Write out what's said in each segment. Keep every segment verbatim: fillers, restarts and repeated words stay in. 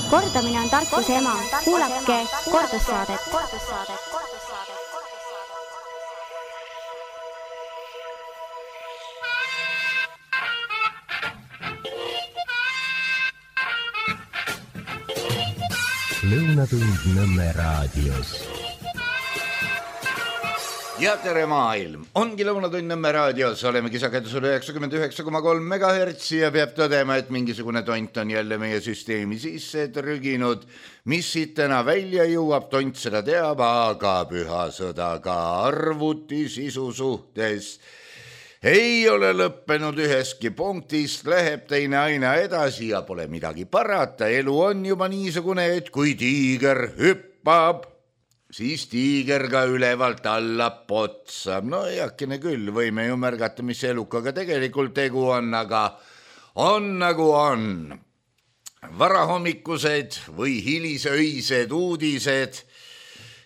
Kordamine on tarkuse ema. Kuulake kordussaadet. Lõunatund Nõmme raadios. Ja tere maailm, ongi Lõunatund Nõmme raadios, olemegi sagedusel üheksakümmend üheksa koma kolm megahertsi ja peab tõdema, et mingisugune tont on jälle meie süsteemi sisse trüginud. Mis siit täna välja jõuab, tont seda teab, aga püha sõda ka arvuti sisu suhtes ei ole lõppenud üheski punktist, läheb teine aina edasi ja pole midagi parata. Elu on juba niisugune, et kui tiiger hüppab, siis tiiger ka ülevalt alla potsab. No eakene küll, võime ju märgata, mis elukaga tegelikult tegu on, aga on nagu on. Varahommikused või hilisöised uudised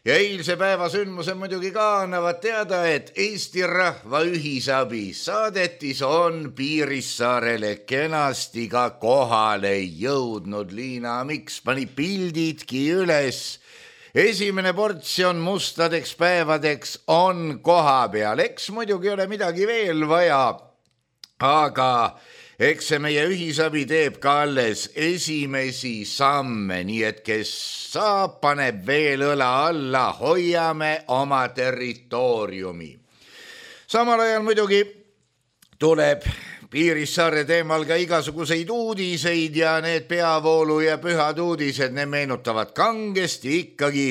ja eilse päeva sündmuse muidugi ka annavad teada, et Eesti Rahva Ühisabi saadetis on Piirissaarele kenasti ka kohale jõudnud. Liina Miks pani pildidki üles. Esimene portsjon mustadeks päevadeks on koha peal. Eks muidugi ole midagi veel vaja, aga eks see meie ühisabi teeb ka alles esimesi samme, nii et kes saab, paneb veel õla alla, hoiame oma territooriumi. Samal ajal muidugi tuleb Piirissaare teemal ka igasuguseid uudiseid ja need peavoolu ja pühad uudised, ne meenutavad kangesti ikkagi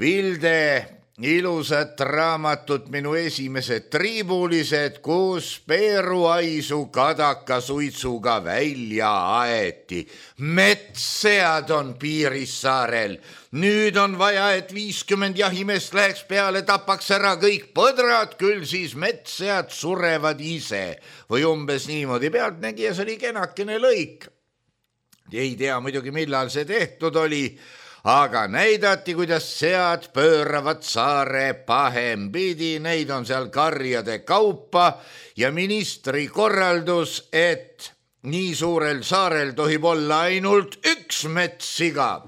Vilde ilusat raamatut Minu esimesed triibulised, kus peeruaisu kadaka suitsuga välja aeti. Metssead on Piirissaarel. Nüüd on vaja, et viiskümmend jahimest läheks peale, tapaks ära kõik põdrad, küll siis metssead surevad ise. Või umbes niimoodi. Pealtnägija, see oli kenakene lõik. Ei tea muidugi, millal see tehtud oli, aga näidati, kuidas sead pööravad saare pahempidi, neid on seal karjade kaupa ja ministri korraldus, et nii suurel saarel tohib olla ainult üks metssiga.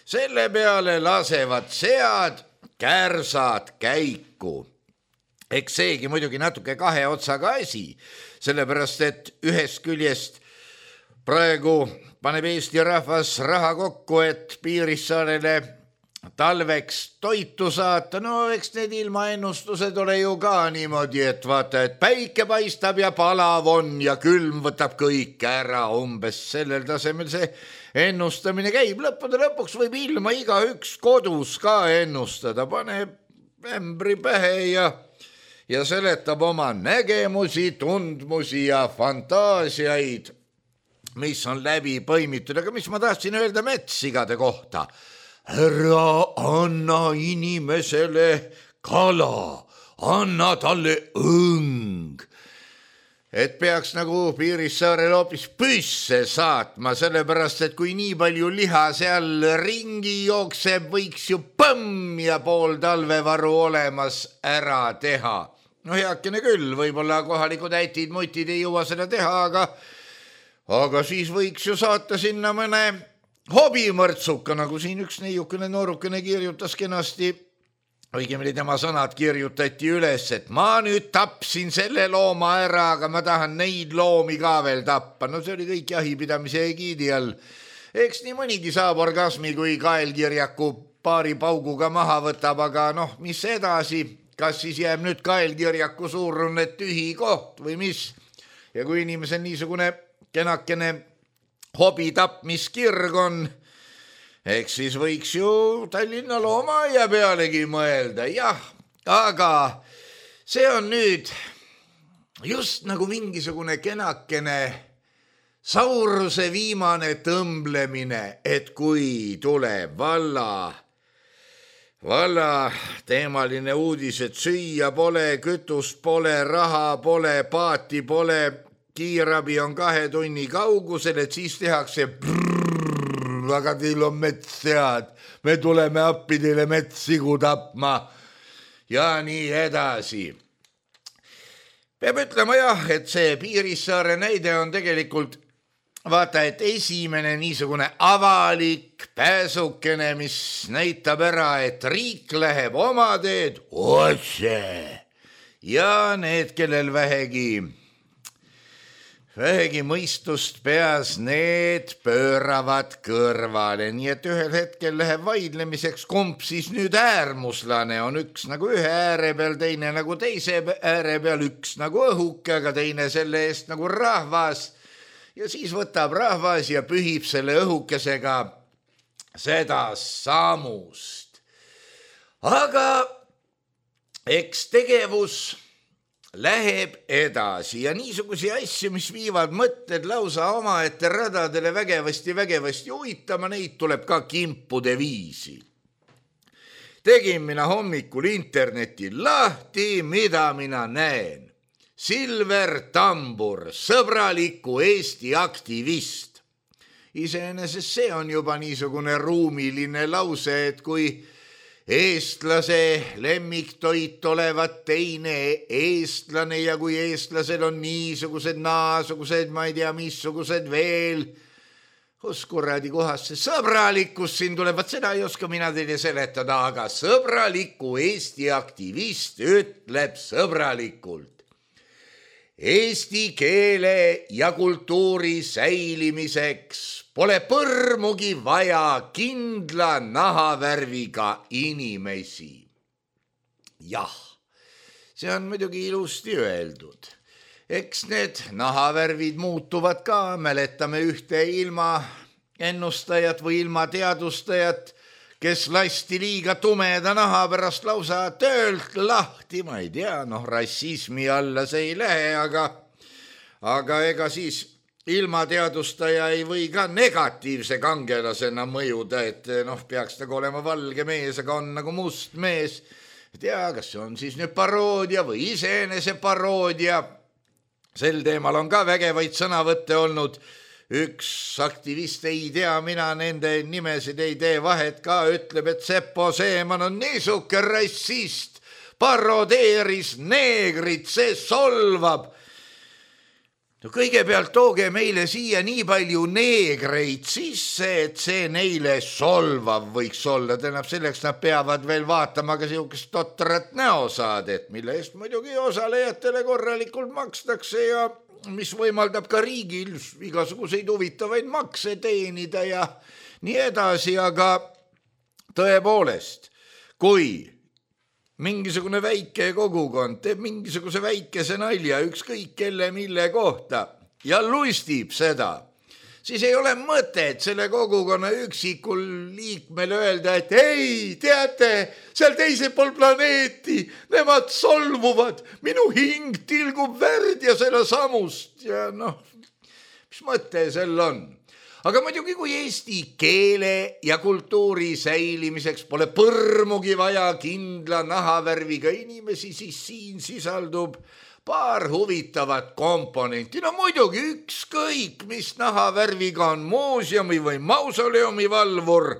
Selle peale lasevad sead kärsad käiku. Eks seegi muidugi natuke kahe otsaga asi, sellepärast et ühest küljest praegu paneb Eesti rahvas raha kokku, et Piirissaarele talveks toitu saata. No eks need ilmaennustused ole ju ka niimoodi, et vaata, et päike paistab ja palav on ja külm võtab kõik ära. Umbes sellel tasemel see ennustamine käib. Lõppude lõpuks võib ilma igaüks kodus ka ennustada. Paneb ämbri pähe ja, ja seletab oma nägemusi, tundmusi ja fantaasiaid, mis on läbi põimitud. Aga mis ma tahtsin öelda metssigade kohta? Ära anna inimesele kala, anna talle õng. Et peaks nagu Piirissaarel hoopis püsse saatma, sellepärast, et kui nii palju liha seal ringi jookseb, võiks ju põmm ja pool talvevaru olemas ära teha. No heakene küll, võib-olla kohalikud äitid, mutid ei jõua seda teha, aga Aga siis võiks ju saata sinna mõne hobimõrtsuka, nagu siin üks neiukene noorukene kirjutas kenasti, õigemini tema sõnad kirjutati üles, et ma nüüd tapsin selle looma ära, aga ma tahan neid loomi ka veel tappa. No see oli kõik jahipidamise egiidi all. Eks nii mõnigi saab orgasmi, kui kaelkirjaku paari pauguga maha võtab, aga noh, mis edasi? Kas siis jääb nüüd kaelkirjaku suurune tühi koht või mis? Ja kui inimesel niisugune kenakene hobi tapmiskirg on, eks siis võiks ju Tallinna loomaaia pealegi mõelda. Jah, aga see on nüüd just nagu mingisugune kenakene Sauruse viimane tõmblemine, et kui tuleb valla, valla teemaline uudis, et süüa pole, kütust pole, raha pole, paati pole, kiirabi on kahe tunni kaugusel, et siis tehakse brrrr, aga teil on metssead, me tuleme appi teile metssigu tapma ja nii edasi. Peab ütlema jah, et see Piirissaare näide on tegelikult vaata, et esimene niisugune avalik pääsukene, mis näitab ära, et riik läheb oma teed otse ja need, kellel vähegi vähegi mõistust peas, need pööravad kõrvale, nii et ühel hetkel läheb vaidlemiseks, kumb siis nüüd äärmuslane on, üks nagu ühe ääre peal, teine nagu teise ääre peal, üks nagu õhuke, aga teine selle eest nagu rahvas. Ja siis võtab rahvas ja pühib selle õhukesega seda saamust. Aga eks tegevus läheb edasi ja niisugusi asju, mis viivad mõtted lausa omaette radadele vägevasti, vägevasti uitama, neid tuleb ka kimpude viisi. Tegin mina hommikul interneti lahti, mida mina näen. Silver Tambur, sõbraliku Eesti aktivist. Iseenesest see on juba niisugune ruumiline lause, et kui eestlase lemmiktoit olevat teine eestlane ja kui eestlased on niisugused, naasugused, ma ei tea, missugused veel, kus kuradi kohas see sõbralikkus siin tuleb, vaat seda ei oska mina teile seletada, aga sõbraliku Eesti aktivist ütleb sõbralikult. Eesti keele ja kultuuri säilimiseks pole põrmugi vaja kindla nahavärviga inimesi. Jah, see on muidugi ilusti öeldud. Eks need nahavärvid muutuvad ka, mäletame ühte ilma ennustajat või ilma teadustajat, kes lasti liiga tumeda naha pärast lausa töölt lahti, ma ei tea, noh, rassismi alla see ei lähe, aga, aga ega siis ilma teadustaja ei või ka negatiivse kangelasena mõjuda, et noh, peaks nagu olema valge mees, aga on nagu must mees. ei tea, kas see on siis nüüd paroodia või iseenese paroodia. Sel teemal on ka vägevaid sõnavõtte olnud. Üks aktivist, ei tea, mina nende nimesid ei tee vahet ka, ütleb, et Seppo Seeman on niisuke rassist, parodeeris neegrit, see solvab. No kõigepealt tooge meile siia nii palju neegreid sisse, et see neile solvav võiks olla. Tähendab, selleks nad peavad veel vaatama ka siukest totrat näosaadet, mille eest muidugi osalejatele korralikult makstakse ja mis võimaldab ka riigil igasuguseid huvitavaid makse teenida ja nii edasi, aga tõepoolest, kui mingisugune väike kogukond teeb mingisuguse väikese nalja ükskõik kelle mille kohta ja lustib seda, siis ei ole mõtet selle kogukonna üksikul liikmel öelda, et ei, teate, seal teisel pool planeeti, nemad solvuvad, minu hing tilgub verd ja selle samust ja noh, mis mõte sel on? Aga muidugi, kui eesti keele ja kultuuri säilimiseks pole põrmugi vaja kindla nahavärviga inimesi, siis siin sisaldub paar huvitavat komponenti. No muidugi ükskõik, mis nahavärviga on muuseumi või mausoleumi valvur.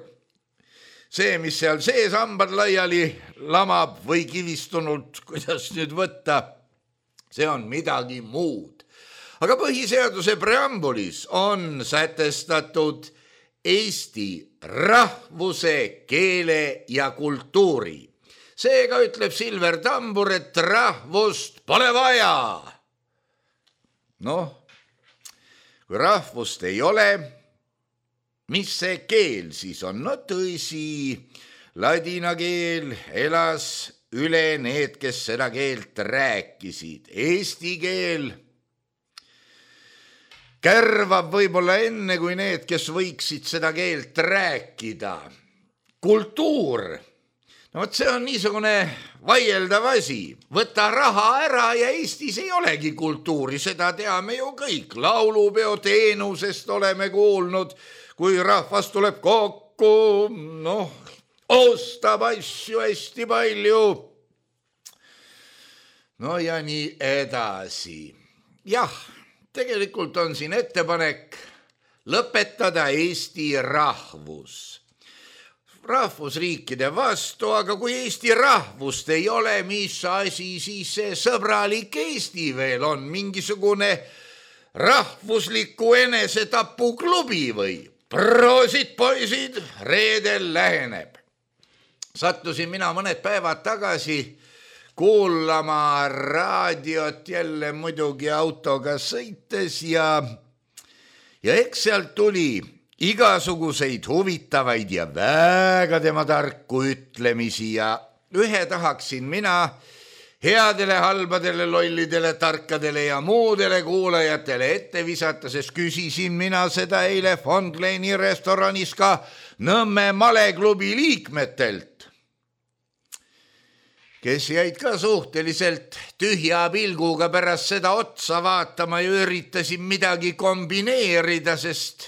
See, mis seal sees hambad laiali lamab või kivistunult, kuidas nüüd võtta, see on midagi muud. Aga põhiseaduse preambulis on sätestatud eesti rahvuse, keele ja kultuuri. Seega ütleb Silver Tambur, et rahvust pole vaja. Noh, kui rahvust ei ole, mis see keel siis on? No tõsi, ladina keel elas üle need, kes seda keelt rääkisid. Eesti keel kärvab võib-olla enne kui need, kes võiksid seda keelt rääkida. Kultuur, no võt see on niisugune vaieldav asi. Võta raha ära ja Eestis ei olegi kultuuri, seda teame ju kõik. Laulupeo teenusest oleme kuulnud, kui rahvas tuleb kokku, noh, ostab asju hästi palju. No ja nii edasi. Jah, tegelikult on siin ettepanek lõpetada Eesti rahvus. Rahvusriikide vastu, aga kui Eesti rahvust ei ole, mis asi siis see sõbralik Eesti veel on? Mingisugune rahvusliku enesetapuklubi või? Proosid, poisid, reedel läheneb. Sattusin mina mõned päevad tagasi kuulama raadiot jälle muidugi autoga sõites ja, ja eks sealt tuli igasuguseid huvitavaid ja väga tema tarku ütlemisi ja ühe tahaksin mina headele, halbadele, lollidele, tarkadele ja muudele kuulajatele ette visata, sest küsisin mina seda eile Fondleini restoranis ka Nõmme maleklubi liikmetelt, kes jäid ka suhteliselt tühja pilguga pärast seda otsa vaatama ja üritasin midagi kombineerida, sest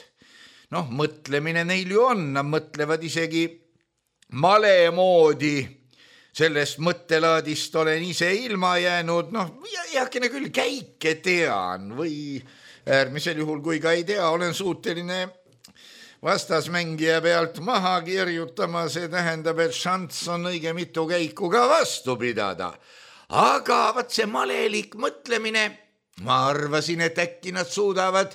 noh, mõtlemine neil ju on, nad mõtlevad isegi male moodi. Sellest mõttelaadist olen ise ilma jäänud, noh, jääkene küll käike tean või äärmisel juhul, kui ka ei tea, olen suuteline vastasmängija pealt maha kirjutama, see tähendab, et šanss on õige mitu käiku ka vastu pidada. Aga vaat see malelik mõtlemine, ma arvasin, et äkki nad suudavad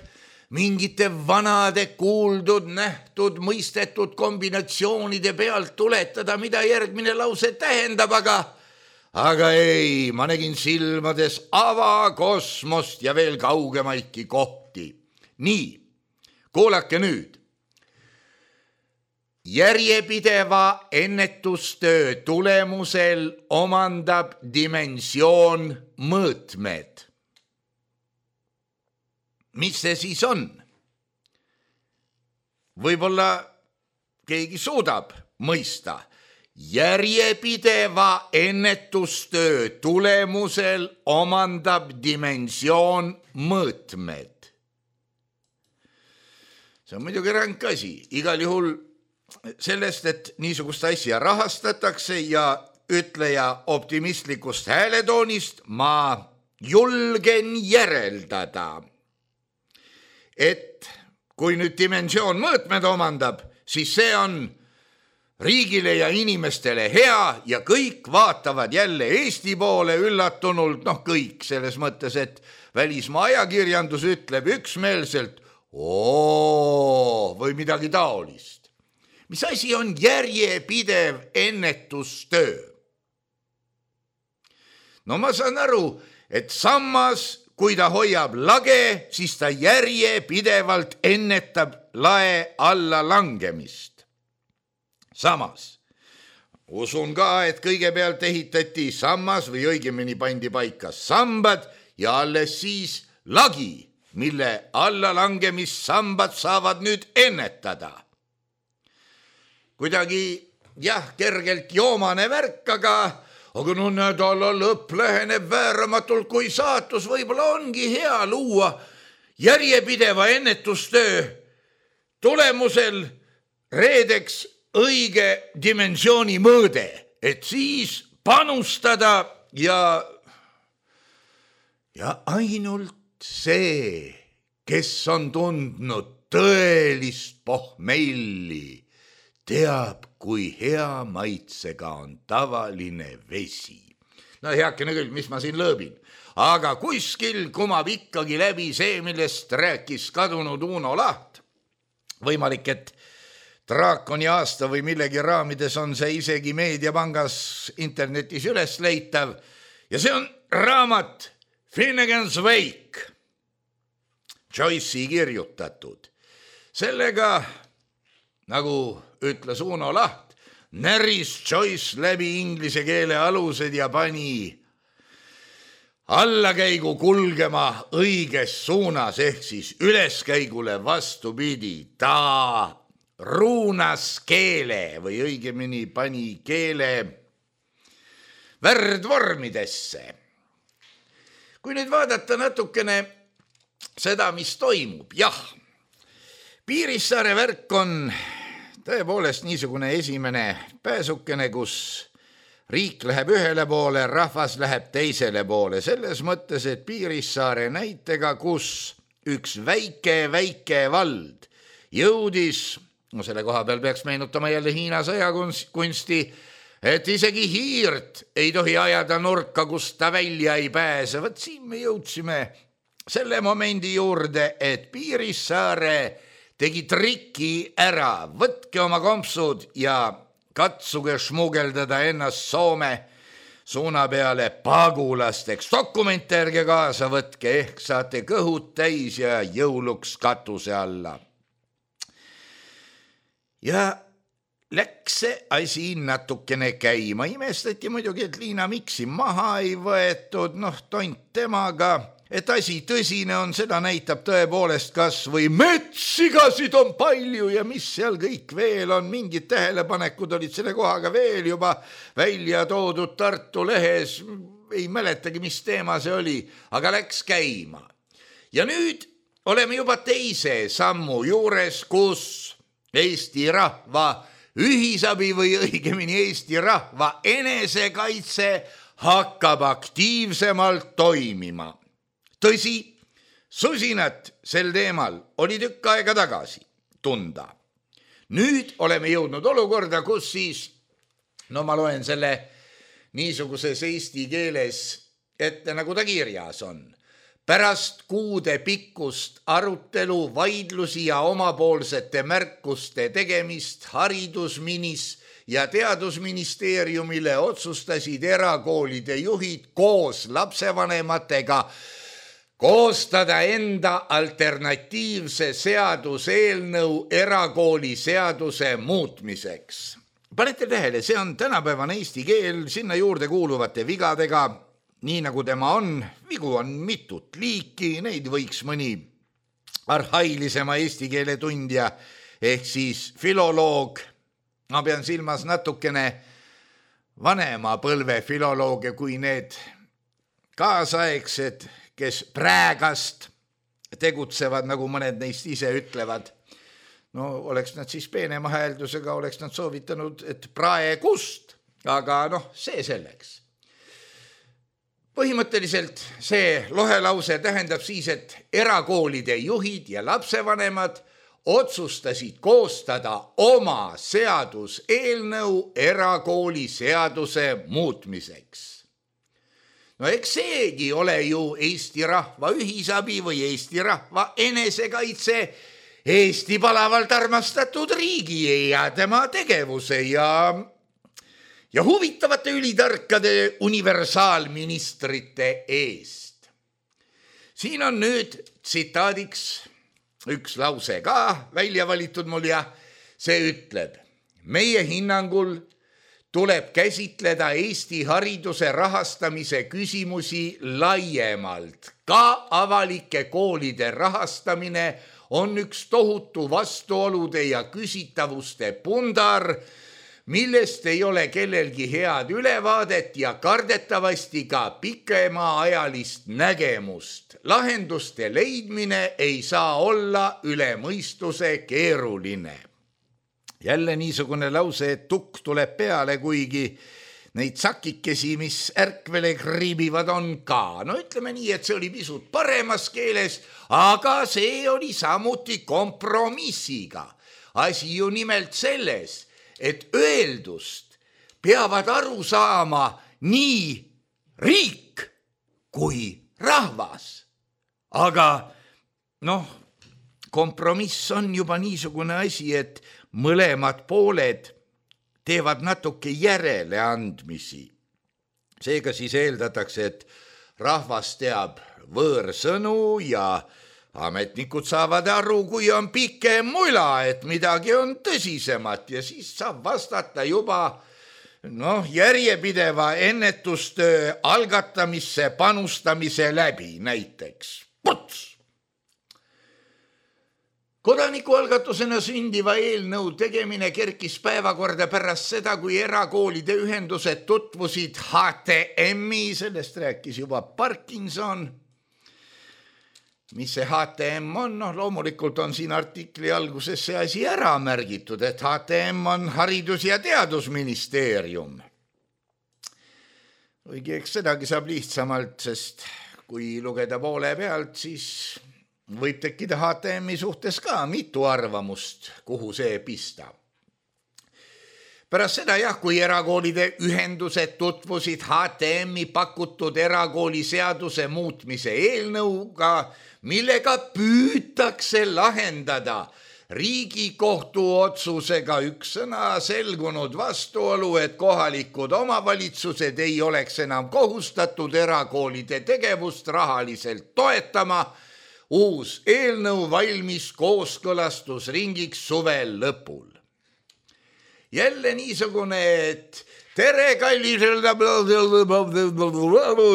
mingite vanade kuuldud, nähtud, mõistetud kombinatsioonide pealt tuletada, mida järgmine lause tähendab, aga, aga ei, ma nägin silmades avakosmost ja veel kaugemaidki kohti. Nii, kuulake nüüd. Järjepideva ennetustöö tulemusel omandab dimensioon mõõtmed. Mis see siis on? Võib-olla keegi suudab mõista. Järjepideva ennetustöö tulemusel omandab dimensioon mõõtmed. See on muidugi ränk asi. Igal juhul sellest, et niisugust asja rahastatakse ja ütleja optimistlikust hääletoonist ma julgen järeldada, et kui nüüd dimensioon mõõtmed omandab, siis see on riigile ja inimestele hea ja kõik vaatavad jälle Eesti poole üllatunult, noh kõik selles mõttes, et välismaa ajakirjandus ütleb üksmeelselt oo või midagi taolist. Mis asi on järjepidev ennetustöö? No ma saan aru, et sammas, kui ta hoiab lage, siis ta järjepidevalt ennetab lae alla langemist. Samas, usun ka, et kõigepealt ehitati sammas või õigemini pandi paika sambad ja alles siis lagi, mille alla langemist sambad saavad nüüd ennetada. Kuidagi, jah, kergelt joomane värk, aga, aga no nädala lõpp läheneb vääramatult, kui saatus võib-olla ongi hea luua järjepideva ennetustöö tulemusel reedeks õige dimensiooni mõõde, et siis panustada ja, ja ainult see, kes on tundnud tõelist pohmelli, teab, kui hea maitsega on tavaline vesi. No heakene küll, mis ma siin lõõbin. Aga kuskil kumab ikkagi läbi see, millest rääkis kadunud Uno Laht. Võimalik, et Draakoni aasta või millegi raamides on see isegi Meediapangas internetis üles leitav. Ja see on raamat Finnegan's Wake, Joyce'i kirjutatud. Sellega, nagu ütles Uno Laht, näris Joyce läbi inglise keele alused ja pani allakäigu kulgema õiges suunas, ehk siis üleskäigule vastupidi. Ta ruunas keele või õigemini pani keele värdvormidesse. Kui nüüd vaadata natukene seda, mis toimub, jah, Piirissaare värk on tõepoolest niisugune esimene pääsukene, kus riik läheb ühele poole, rahvas läheb teisele poole. Selles mõttes, et Piirissaare näitega, kus üks väike, väike vald jõudis, no selle koha peal peaks meenutama jälle Hiina sõjakunsti, et isegi hiirt ei tohi ajada nurka, kus ta välja ei pääse. Võt siin me jõudsime selle momendi juurde, et Piirissaare tegi triki ära, võtke oma kompsud ja katsuge šmugeldada ennast Soome suuna peale pagulasteks. Dokumente ärge kaasa võtke, ehk saate kõhud täis ja jõuluks katuse alla. Ja läks see asi natukene käima. Imestati muidugi, et Liina Miksi maha ei võetud, noh, tont temaga, et asi tõsine on, seda näitab tõepoolest kas või metssigasid on palju ja mis seal kõik veel on, mingid tähelepanekud olid selle kohaga veel juba välja toodud Tartu lehes, ei mäletagi, mis teema see oli, aga läks käima. Ja nüüd oleme juba teise sammu juures, kus Eesti rahva ühisabi või õigemini Eesti rahva enesekaitse hakkab aktiivsemalt toimima. Tõsi, susinat sel teemal oli tükk aega tagasi tunda. Nüüd oleme jõudnud olukorda, kus siis, no ma loen selle niisuguses eesti keeles ette, nagu ta kirjas on. Pärast kuude pikkust arutelu, vaidlusi ja omapoolsete märkuste tegemist haridusminis ja teadusministeeriumile otsustasid erakoolide juhid koos lapsevanematega koostada enda alternatiivse seaduseelnõu erakooli seaduse muutmiseks. Panete tähele, see on tänapäevane eesti keel sinna juurde kuuluvate vigadega, nii nagu tema on. Vigu on mitut liiki, neid võiks mõni arhailisema eesti keele tundja ehk siis filoloog, ma pean silmas natukene vanema põlve filolooge kui need kaasaegsed, kes praegast tegutsevad, nagu mõned neist ise ütlevad. No oleks nad siis peenema hääldusega, oleks nad soovitanud, et praegust, aga noh, see selleks. Põhimõtteliselt see lohelause tähendab siis, et erakoolide juhid ja lapsevanemad otsustasid koostada oma seaduseelnõu erakooli seaduse muutmiseks. No eks seegi ole ju Eesti rahva ühisabi või Eesti rahva enesekaitse, Eesti palavalt armastatud riigi ja tema tegevuse ja, ja huvitavate ülitarkade universaalministrite eest. Siin on nüüd tsitaadiks üks lause ka välja valitud mul ja see ütleb: meie hinnangul tuleb käsitleda Eesti hariduse rahastamise küsimusi laiemalt. Ka avalike koolide rahastamine on üks tohutu vastuolude ja küsitavuste pundar, millest ei ole kellelgi head ülevaadet ja kardetavasti ka pikemaajalist nägemust. Lahenduste leidmine ei saa olla üle mõistuse keeruline. Jälle niisugune lause, et tukk tuleb peale, kuigi neid sakikesi, mis ärkvele kriibivad, on ka. No ütleme nii, et see oli pisut paremas keeles, aga see oli samuti kompromissiga. Asi ju nimelt selles, et öeldust peavad aru saama nii riik kui rahvas. Aga noh, kompromiss on juba niisugune asi, et mõlemad pooled teevad natuke järeleandmisi. Seega siis eeldatakse, et rahvas teab võõrsõnu ja ametnikud saavad aru, kui on pikem mula, et midagi on tõsisemat ja siis saab vastata juba noh, järjepideva ennetustöö algatamisse panustamise läbi näiteks. Puts! Kodanikualgatusena sündiva eelnõu tegemine kerkis päevakorda pärast seda, kui erakoolide ühendused tutvusid H T M-i, sellest rääkis juba Parkinson. Mis see H T M on? No, loomulikult on siin artikli alguses see asi ära märgitud, et H T M on Haridus- ja Teadusministeerium. Õige, eks sedagi saab lihtsamalt, sest kui lugeda poole pealt, siis võib tekkida H T M-i suhtes ka mitu arvamust, kuhu see pista. pärast seda jah, kui erakoolide ühendused tutvusid H T M-i pakutud erakooli seaduse muutmise eelnõuga, millega püütakse lahendada Riigikohtu otsusega üks sõna selgunud vastuolu, et kohalikud omavalitsused ei oleks enam kohustatud erakoolide tegevust rahaliselt toetama. Uus eelnõu valmis kooskõlastusringiks suvel lõpul. Jälle niisugune, et tere kallis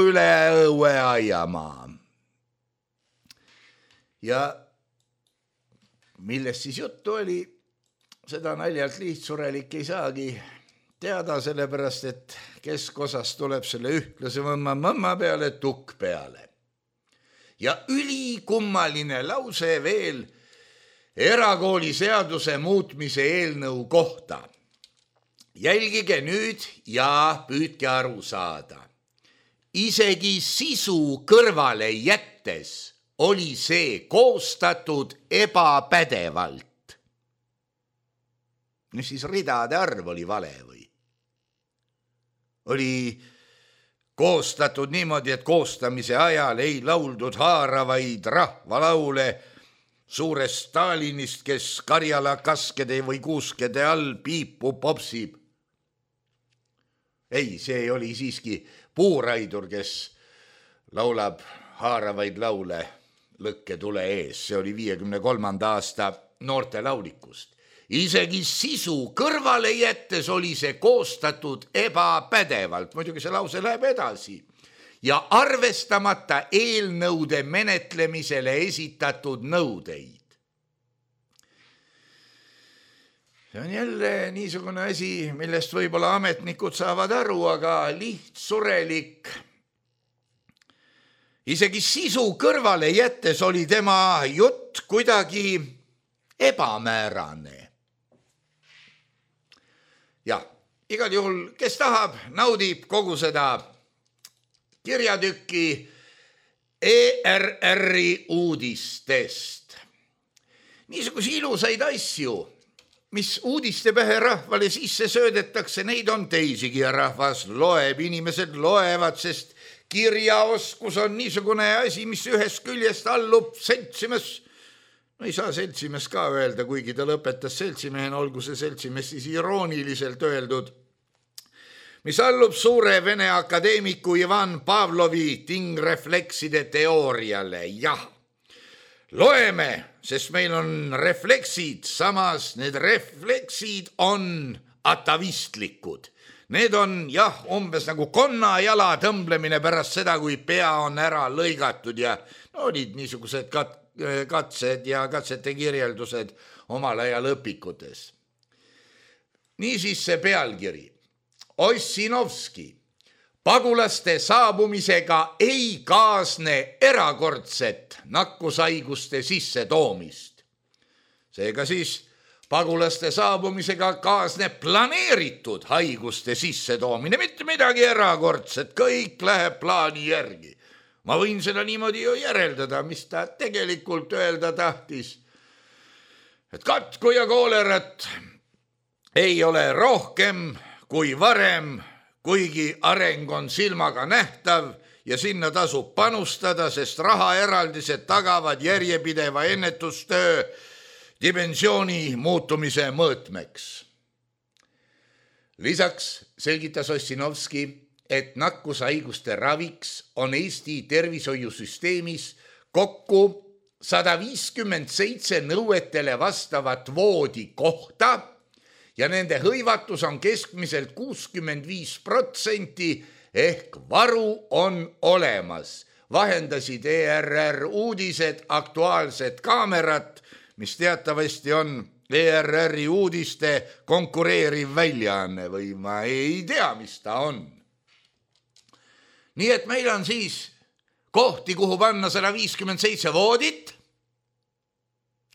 üle õue aiamaa. Ja millest siis juttu oli, seda naljalt lihtsurelik ei saagi teada, sellepärast, et keskosas tuleb selle ühtlase mõmma mõmma peale tukk peale. Ja ülikummaline lause veel erakooli seaduse muutmise eelnõu kohta. Jälgige nüüd ja püüdke aru saada. Isegi sisu kõrvale jättes oli see koostatud ebapädevalt. Nüüd siis ridade arv oli vale või? Oli koostatud niimoodi, et koostamise ajal ei lauldud haaravaid rahvalaule suurest Stalinist, kes Karjala kaskede või kuuskede all piipu popsib. Ei, see oli siiski puuraidur, kes laulab haaravaid laule lõkke tule ees. See oli viiekümne kolmanda aasta noorte laulikust. Isegi sisu kõrvale jättes oli see koostatud ebapädevalt. Muidugi see lause läheb edasi. Ja arvestamata eelnõude menetlemisele esitatud nõudeid. See on jälle niisugune asi, millest võib-olla ametnikud saavad aru, aga lihtsurelik. Isegi sisu kõrvale jättes oli tema jutt kuidagi ebamäärane. Ja igal juhul, kes tahab, naudib kogu seda kirjatükki E R R-i uudistest. Niisuguse ilusaid asju, mis uudiste pähe rahvale sisse söödetakse, neid on teisigi ja rahvas loeb, inimesed loevad, sest kirjaoskus on niisugune asi, mis ühest küljest allub seltsimes, no ei saa seltsimes ka öelda, kuigi ta lõpetas seltsimehen, olgu see seltsimes siis irooniliselt öeldud, mis allub suure Vene akadeemiku Ivan Pavlovi tingreflekside teooriale. Jah, loeme, sest meil on refleksid, samas need refleksid on atavistlikud. Need on jah, umbes nagu konna jala tõmblemine pärast seda, kui pea on ära lõigatud ja no, olid niisugused kat- katsed ja katsete kirjeldused omal ajal õpikutes. Niisiis see pealkiri. Ossinovski. Pagulaste saabumisega ei kaasne erakordset nakkushaiguste sissetoomist. Seega siis pagulaste saabumisega kaasneb planeeritud haiguste sissetoomine, mitte midagi erakordset, kõik läheb plaani järgi. Ma võin seda niimoodi ju järeldada, mis ta tegelikult öelda tahtis. Et katku ja koolerat ei ole rohkem kui varem, kuigi areng on silmaga nähtav ja sinna tasub panustada, sest rahaeraldised tagavad järjepideva ennetustöö dimensiooni muutumise mõõtmeks. Lisaks selgitas Ossinovski, et nakkushaiguste raviks on Eesti tervishoiusüsteemis kokku sada viiskümmend seitse nõuetele vastavat voodi kohta ja nende hõivatus on keskmiselt kuuskümmend viis protsenti ehk varu on olemas. Vahendasid E R R uudised Aktuaalset kaamerat, mis teatavasti on E R R-i uudiste konkureeriv väljaanne või ma ei tea, mis ta on. Nii et meil on siis kohti, kuhu panna sada viiskümmend seitse voodit,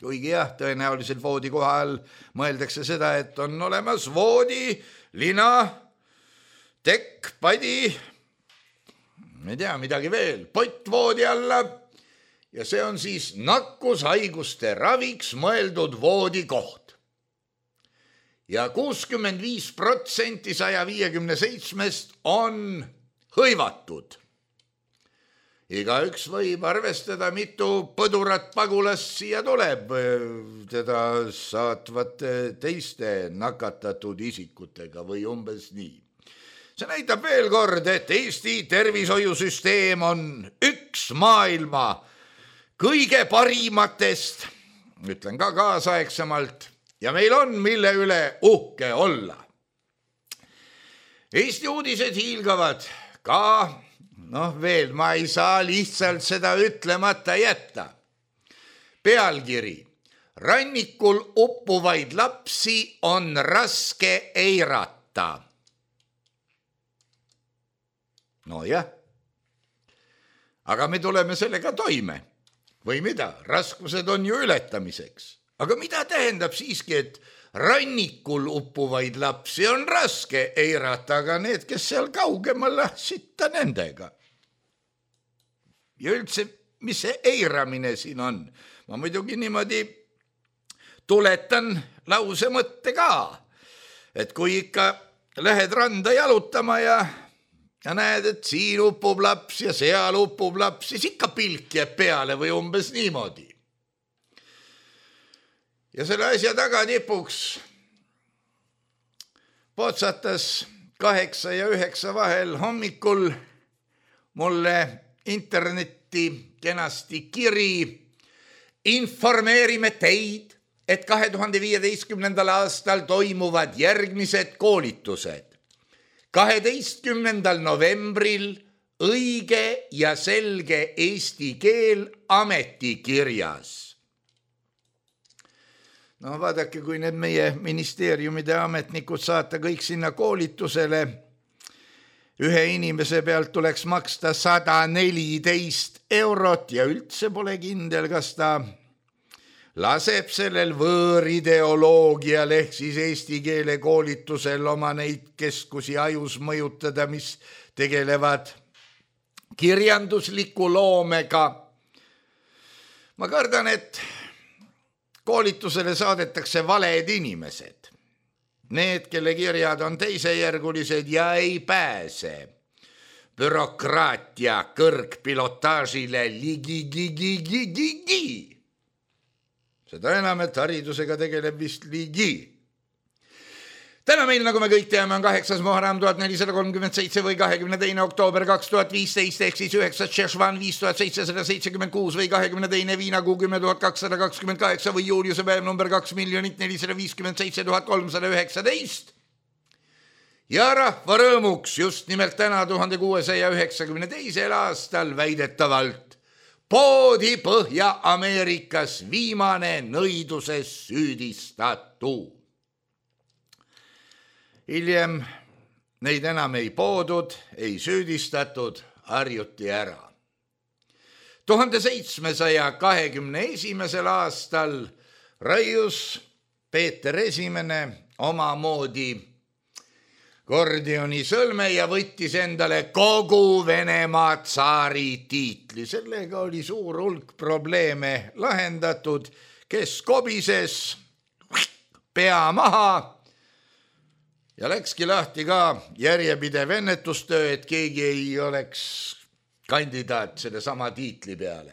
kuigi jah, tõenäoliselt voodi kohal mõeldakse seda, et on olemas voodi, lina, tekk, padi, ei tea, midagi veel, pott voodi alla ja see on siis nakkushaiguste raviks mõeldud voodikoht. ja kuuskümmend viis protsenti saja viiekümne seitsmest on hõivatud. Igaüks võib arvestada, mitu põdurat pagulast siia tuleb teda saatvate teiste nakatatud isikutega või umbes nii. See näitab veel kord, et Eesti tervishoiusüsteem on üks maailma kõige parimatest, ütlen ka kaasaegsemalt, ja meil on mille üle uhke olla. Eesti uudised hiilgavad ka, noh veel, ma ei saa lihtsalt seda ütlemata jätta. Pealkiri: rannikul uppuvaid lapsi on raske eirata. No jah, aga me tuleme sellega toime. Või mida? Raskused on ju ületamiseks. Aga mida tähendab siiski, et rannikul uppuvaid lapsi on raske eirata, aga need, kes seal kaugemal, sitta nendega. Ja üldse, mis see eiramine siin on? Ma muidugi niimoodi tuletan lause mõtte ka, et kui ikka lähed randa jalutama ja, ja näed, et siin uppub laps ja seal uppub laps, siis ikka pilk jääb peale või umbes niimoodi. Ja selle asja tagatipuks potsatas kaheksa ja üheksa vahel hommikul mulle internetti kenasti kiri: informeerime teid, et kahe tuhande viieteistkümnendal aastal toimuvad järgmised koolitused. kaheteistkümnendal novembril õige ja selge eesti keel ametikirjas. No vaadake, kui need meie ministeeriumide ametnikud saata kõik sinna koolitusele, ühe inimese pealt tuleks maksta sada neliteist eurot ja üldse pole kindel, kas ta laseb sellel võõrideoloogial ehk siis eesti keele koolitusel oma neid keskusi ajus mõjutada, mis tegelevad kirjandusliku loomega. Ma kardan, et koolitusele saadetakse valed inimesed. Need, kelle kirjad on teisejärgulised ja ei pääse bürokraatia kõrgpilotaažile ligi-gi-gi-gi-gi-gi. Seda enam, et haridusega tegeleb vist ligi. Täna meil, nagu me kõik teame, on kaheksas Muharram tuhat nelisada kolmkümmend seitse või kahekümne teine oktoober kaks tuhat viisteist ehk siis üheksas Šešvan viis tuhat seitsesada seitsekümmend kuus või kahekümne teine Viinakuu kümme tuhat kakssada kakskümmend kaheksa või juuliuse päev number kaks miljonit nelisada viiskümmend seitse tuhat kolmsada üheksateist. Ja rahva rõõmuks just nimelt täna tuhande kuuesaja üheksakümne teisel aastal väidetavalt poodi Põhja-Ameerikas viimane nõiduses süüdistatu. Hiljem neid enam ei poodud, ei süüdistatud, harjuti ära. tuhande seitsmesaja kahekümne esimesel aastal raius Peeter Esimene omamoodi Gordioni sõlme ja võttis endale kogu Venemaa tsaari tiitli. Sellega oli suur hulk probleeme lahendatud, kes kobises pea maha ja läkski lahti ka järjepidev ennetustöö, et keegi ei oleks kandidaat selle sama tiitli peale.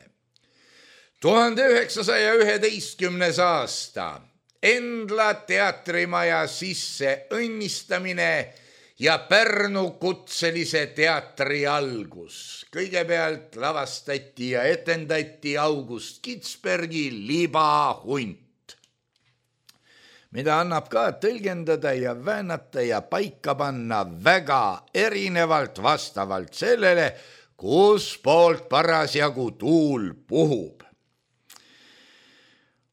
tuhande üheksasaja üheteistkümnes aasta Endla teatrimaja sisse õnnistamine ja Pärnu kutselise teatri algus. Kõigepealt lavastati ja etendati August Kitzbergi Libahunt, mida annab ka tõlgendada ja väänata ja paika panna väga erinevalt vastavalt sellele, kus poolt parasjagu tuul puhub.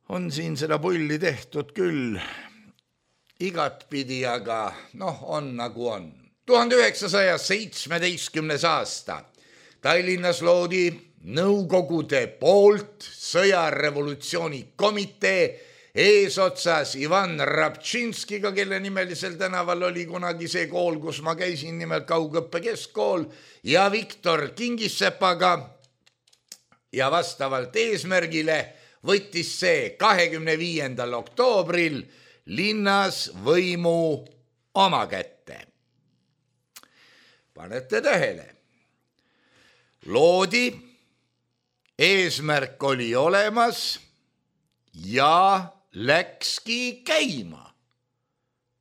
On siin seda pulli tehtud küll igatpidi, aga noh, on nagu on. tuhande üheksasaja seitsmeteistkümnes aasta Tallinnas loodi Nõukogude poolt sõjarevolutsiooni komitee eesotsas Ivan Rabčinskiga, kelle nimelisel tänaval oli kunagi see kool, kus ma käisin, nimelt Kaugõppe keskkool, ja Viktor Kingissepaga. Ja vastavalt eesmärgile võttis see kahekümne viiendal oktoobril linnas võimu oma kätte. Panete tähele. Loodi, eesmärk oli olemas ja läkski käima.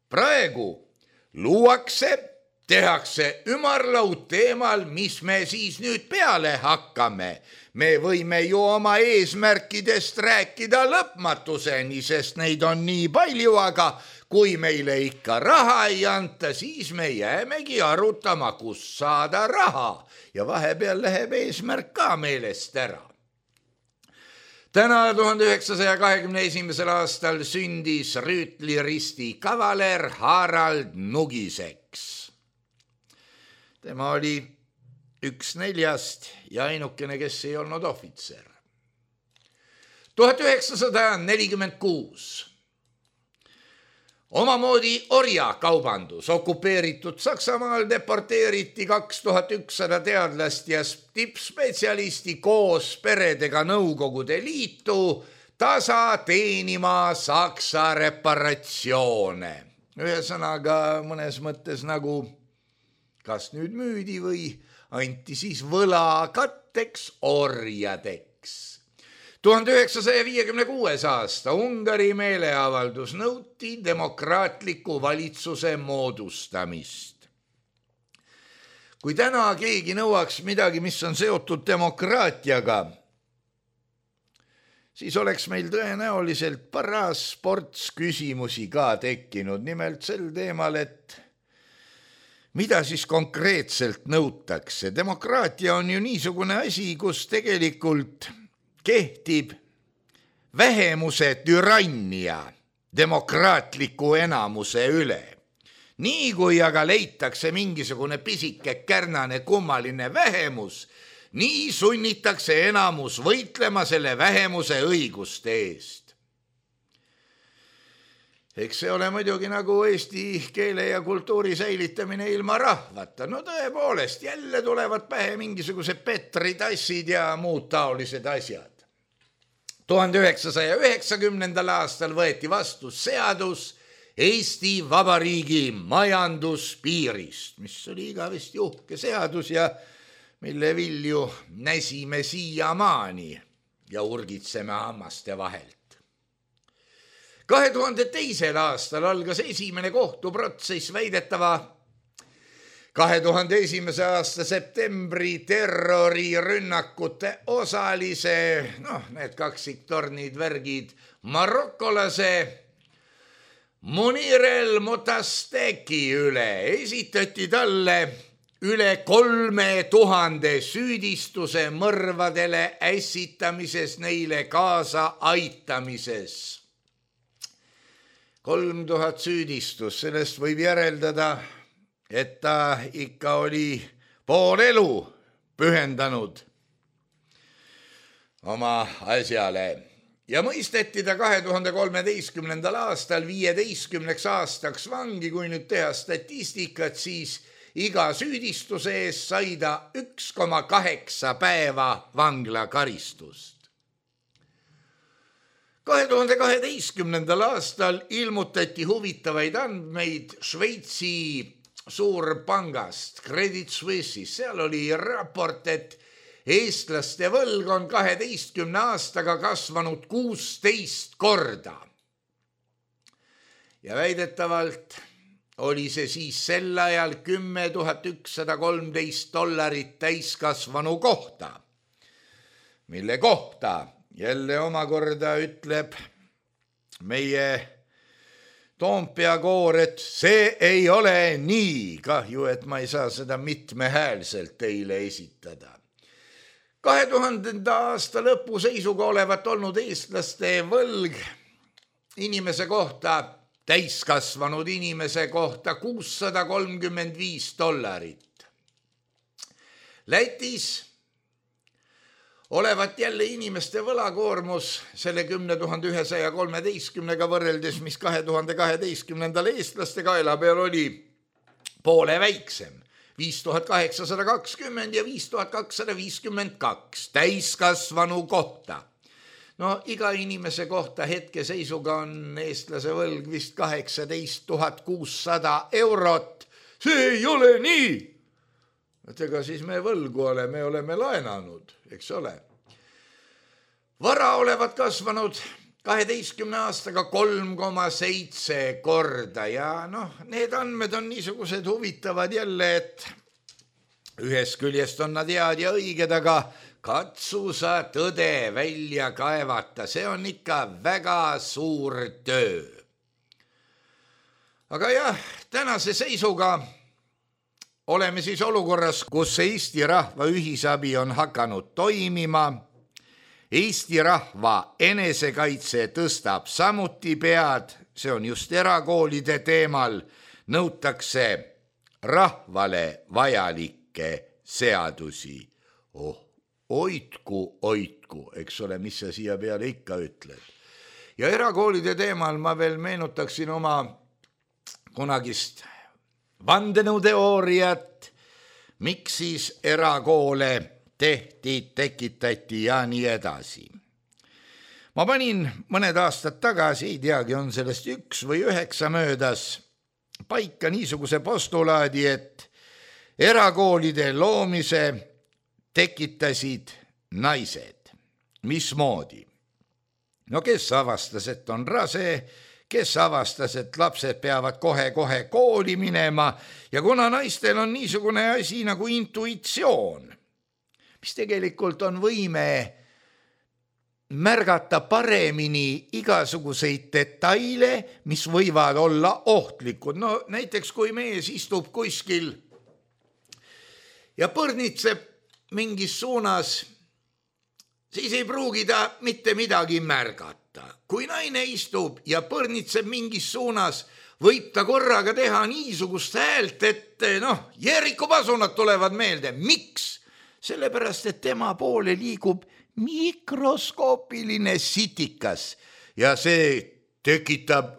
Praegu luuakse, tehakse ümarlaud teemal, mis me siis nüüd peale hakkame. Me võime ju oma eesmärkidest rääkida lõpmatuseni, sest neid on nii palju, aga kui meile ikka raha ei anta, siis me jäämegi arutama, kus saada raha ja vahepeal läheb eesmärk ka meelest ära. Täna tuhande üheksasaja kahekümne esimesel aastal sündis rüütliristi kavaler Harald Nugiseks. Tema oli üks neljast ja ainukene, kes ei olnud ohvitser. tuhat üheksasada nelikümmend kuus. Omamoodi orjakaubandus okupeeritud Saksamaal deporteeriti kaks tuhat ükssada teadlast ja tippspetsialisti koos peredega Nõukogude Liitu tasa teenima Saksa reparatsioone. Ühesõnaga mõnes mõttes nagu kas nüüd müüdi või anti siis võla katteks orjadeks. tuhande üheksasaja viiekümne kuues aasta Ungari meeleavaldus nõuti demokraatliku valitsuse moodustamist. Kui täna keegi nõuaks midagi, mis on seotud demokraatiaga, siis oleks meil tõenäoliselt paras ports küsimusi ka tekkinud, nimelt sel teemal, et mida siis konkreetselt nõutakse? Demokraatia on ju niisugune asi, kus tegelikult kehtib vähemuse türannia demokraatliku enamuse üle. Nii kui aga leitakse mingisugune pisike kärnane kummaline vähemus, nii sunnitakse enamus võitlema selle vähemuse õiguste eest. Eks see ole muidugi nagu eesti keele ja kultuuri säilitamine ilma rahvata. No tõepoolest, jälle tulevad pähe mingisugused petritassid ja muud taolised asjad. tuhande üheksasaja üheksakümnendal aastal võeti vastu seadus Eesti Vabariigi majanduspiirist, mis oli igavesti uhke seadus ja mille vilju näsime siiamaani ja urgitseme hammaste vahelt. kahe tuhande teisel aastal algas esimene kohtuprotsess väidetava kahe tuhande esimese aasta septembri terrorirünnakute osalise, noh, need kaksiktornid, värgid, marokolase Munir El Motasteki üle. Esitati talle üle kolme tuhande süüdistuse mõrvadele ässitamises, neile kaasa aitamises. kolm tuhat süüdistus, sellest võib järeldada, et ta ikka oli pool elu pühendanud oma asjale ja mõisteti ta kahe tuhande kolmeteistkümnendal aastal viieteistkümneks aastaks vangi. Kui nüüd teha statistikat, siis iga süüdistuse eest sai ta üks koma kaheksa päeva vanglakaristust. kahe tuhande kaheteistkümnendal aastal ilmutati huvitavaid andmeid Šveitsi suurpangast Credit Suisse'is. Seal oli raport, et eestlaste võlg on kaheteistkümne aastaga kasvanud kuusteist korda. Ja väidetavalt oli see siis sel ajal kümme tuhat ükssada kolmteist dollarit täiskasvanu kohta, mille kohta jälle omakorda ütleb meie Toompea koor, et see ei ole nii. Kahju, et ma ei saa seda mitmehäälselt teile esitada. kahe tuhandenda aasta lõpu seisuga olevat olnud eestlaste võlg inimese kohta, täiskasvanud inimese kohta kuussada kolmkümmend viis dollarit. Lätis olevat jälle inimeste võlakoormus selle kümne tuhande ühesaja kolmeteistkümnega võrreldes, mis kahe tuhande kaheteistkümnendal eestlaste kaela peal oli, poole väiksem. viis tuhat kaheksasada kakskümmend ja viis tuhat kakssada viiskümmend kaks täiskasvanu kohta. no iga inimese kohta hetkeseisuga on eestlase võlg vist kaheksateist tuhat kuussada eurot. See ei ole nii. Et ega siis me võlgu ole, me oleme laenanud, eks ole. Vara olevat kasvanud kaheteistkümne aastaga kolm koma seitse korda ja noh, need andmed on niisugused huvitavad jälle, et ühest küljest on nad head ja õiged, aga katsu sa tõde välja kaevata, see on ikka väga suur töö. Aga jah, tänase seisuga oleme siis olukorras, kus Eesti rahva ühisabi on hakanud toimima. Eesti rahva enesekaitse tõstab samuti pead, see on just erakoolide teemal, nõutakse rahvale vajalikke seadusi. Oh, oitku, oitku, eks ole, mis sa siia peale ikka ütled. Ja erakoolide teemal ma veel meenutaksin oma kunagist vandenõuteooriat, miks siis erakoole tehti, tekitati ja nii edasi. Ma panin mõned aastad tagasi, ei teagi, on sellest üks või üheksa möödas, paika niisuguse postulaadi, et erakoolide loomise tekitasid naised. Mismoodi? No kes avastas, et on rase, kes avastas, et lapsed peavad kohe-kohe kooli minema ja kuna naistel on niisugune asi nagu intuitsioon, mis tegelikult on võime märgata paremini igasuguseid detaile, mis võivad olla ohtlikud. No näiteks kui mees istub kuskil ja põrnitseb mingis suunas, siis ei pruugi ta mitte midagi märgata. Kui naine istub ja põrnitseb mingis suunas, võib ta korraga teha niisugust häält, et noh, Jeeriku pasunad tulevad meelde. Miks? Sellepärast, et tema poole liigub mikroskoopiline sitikas ja see tekitab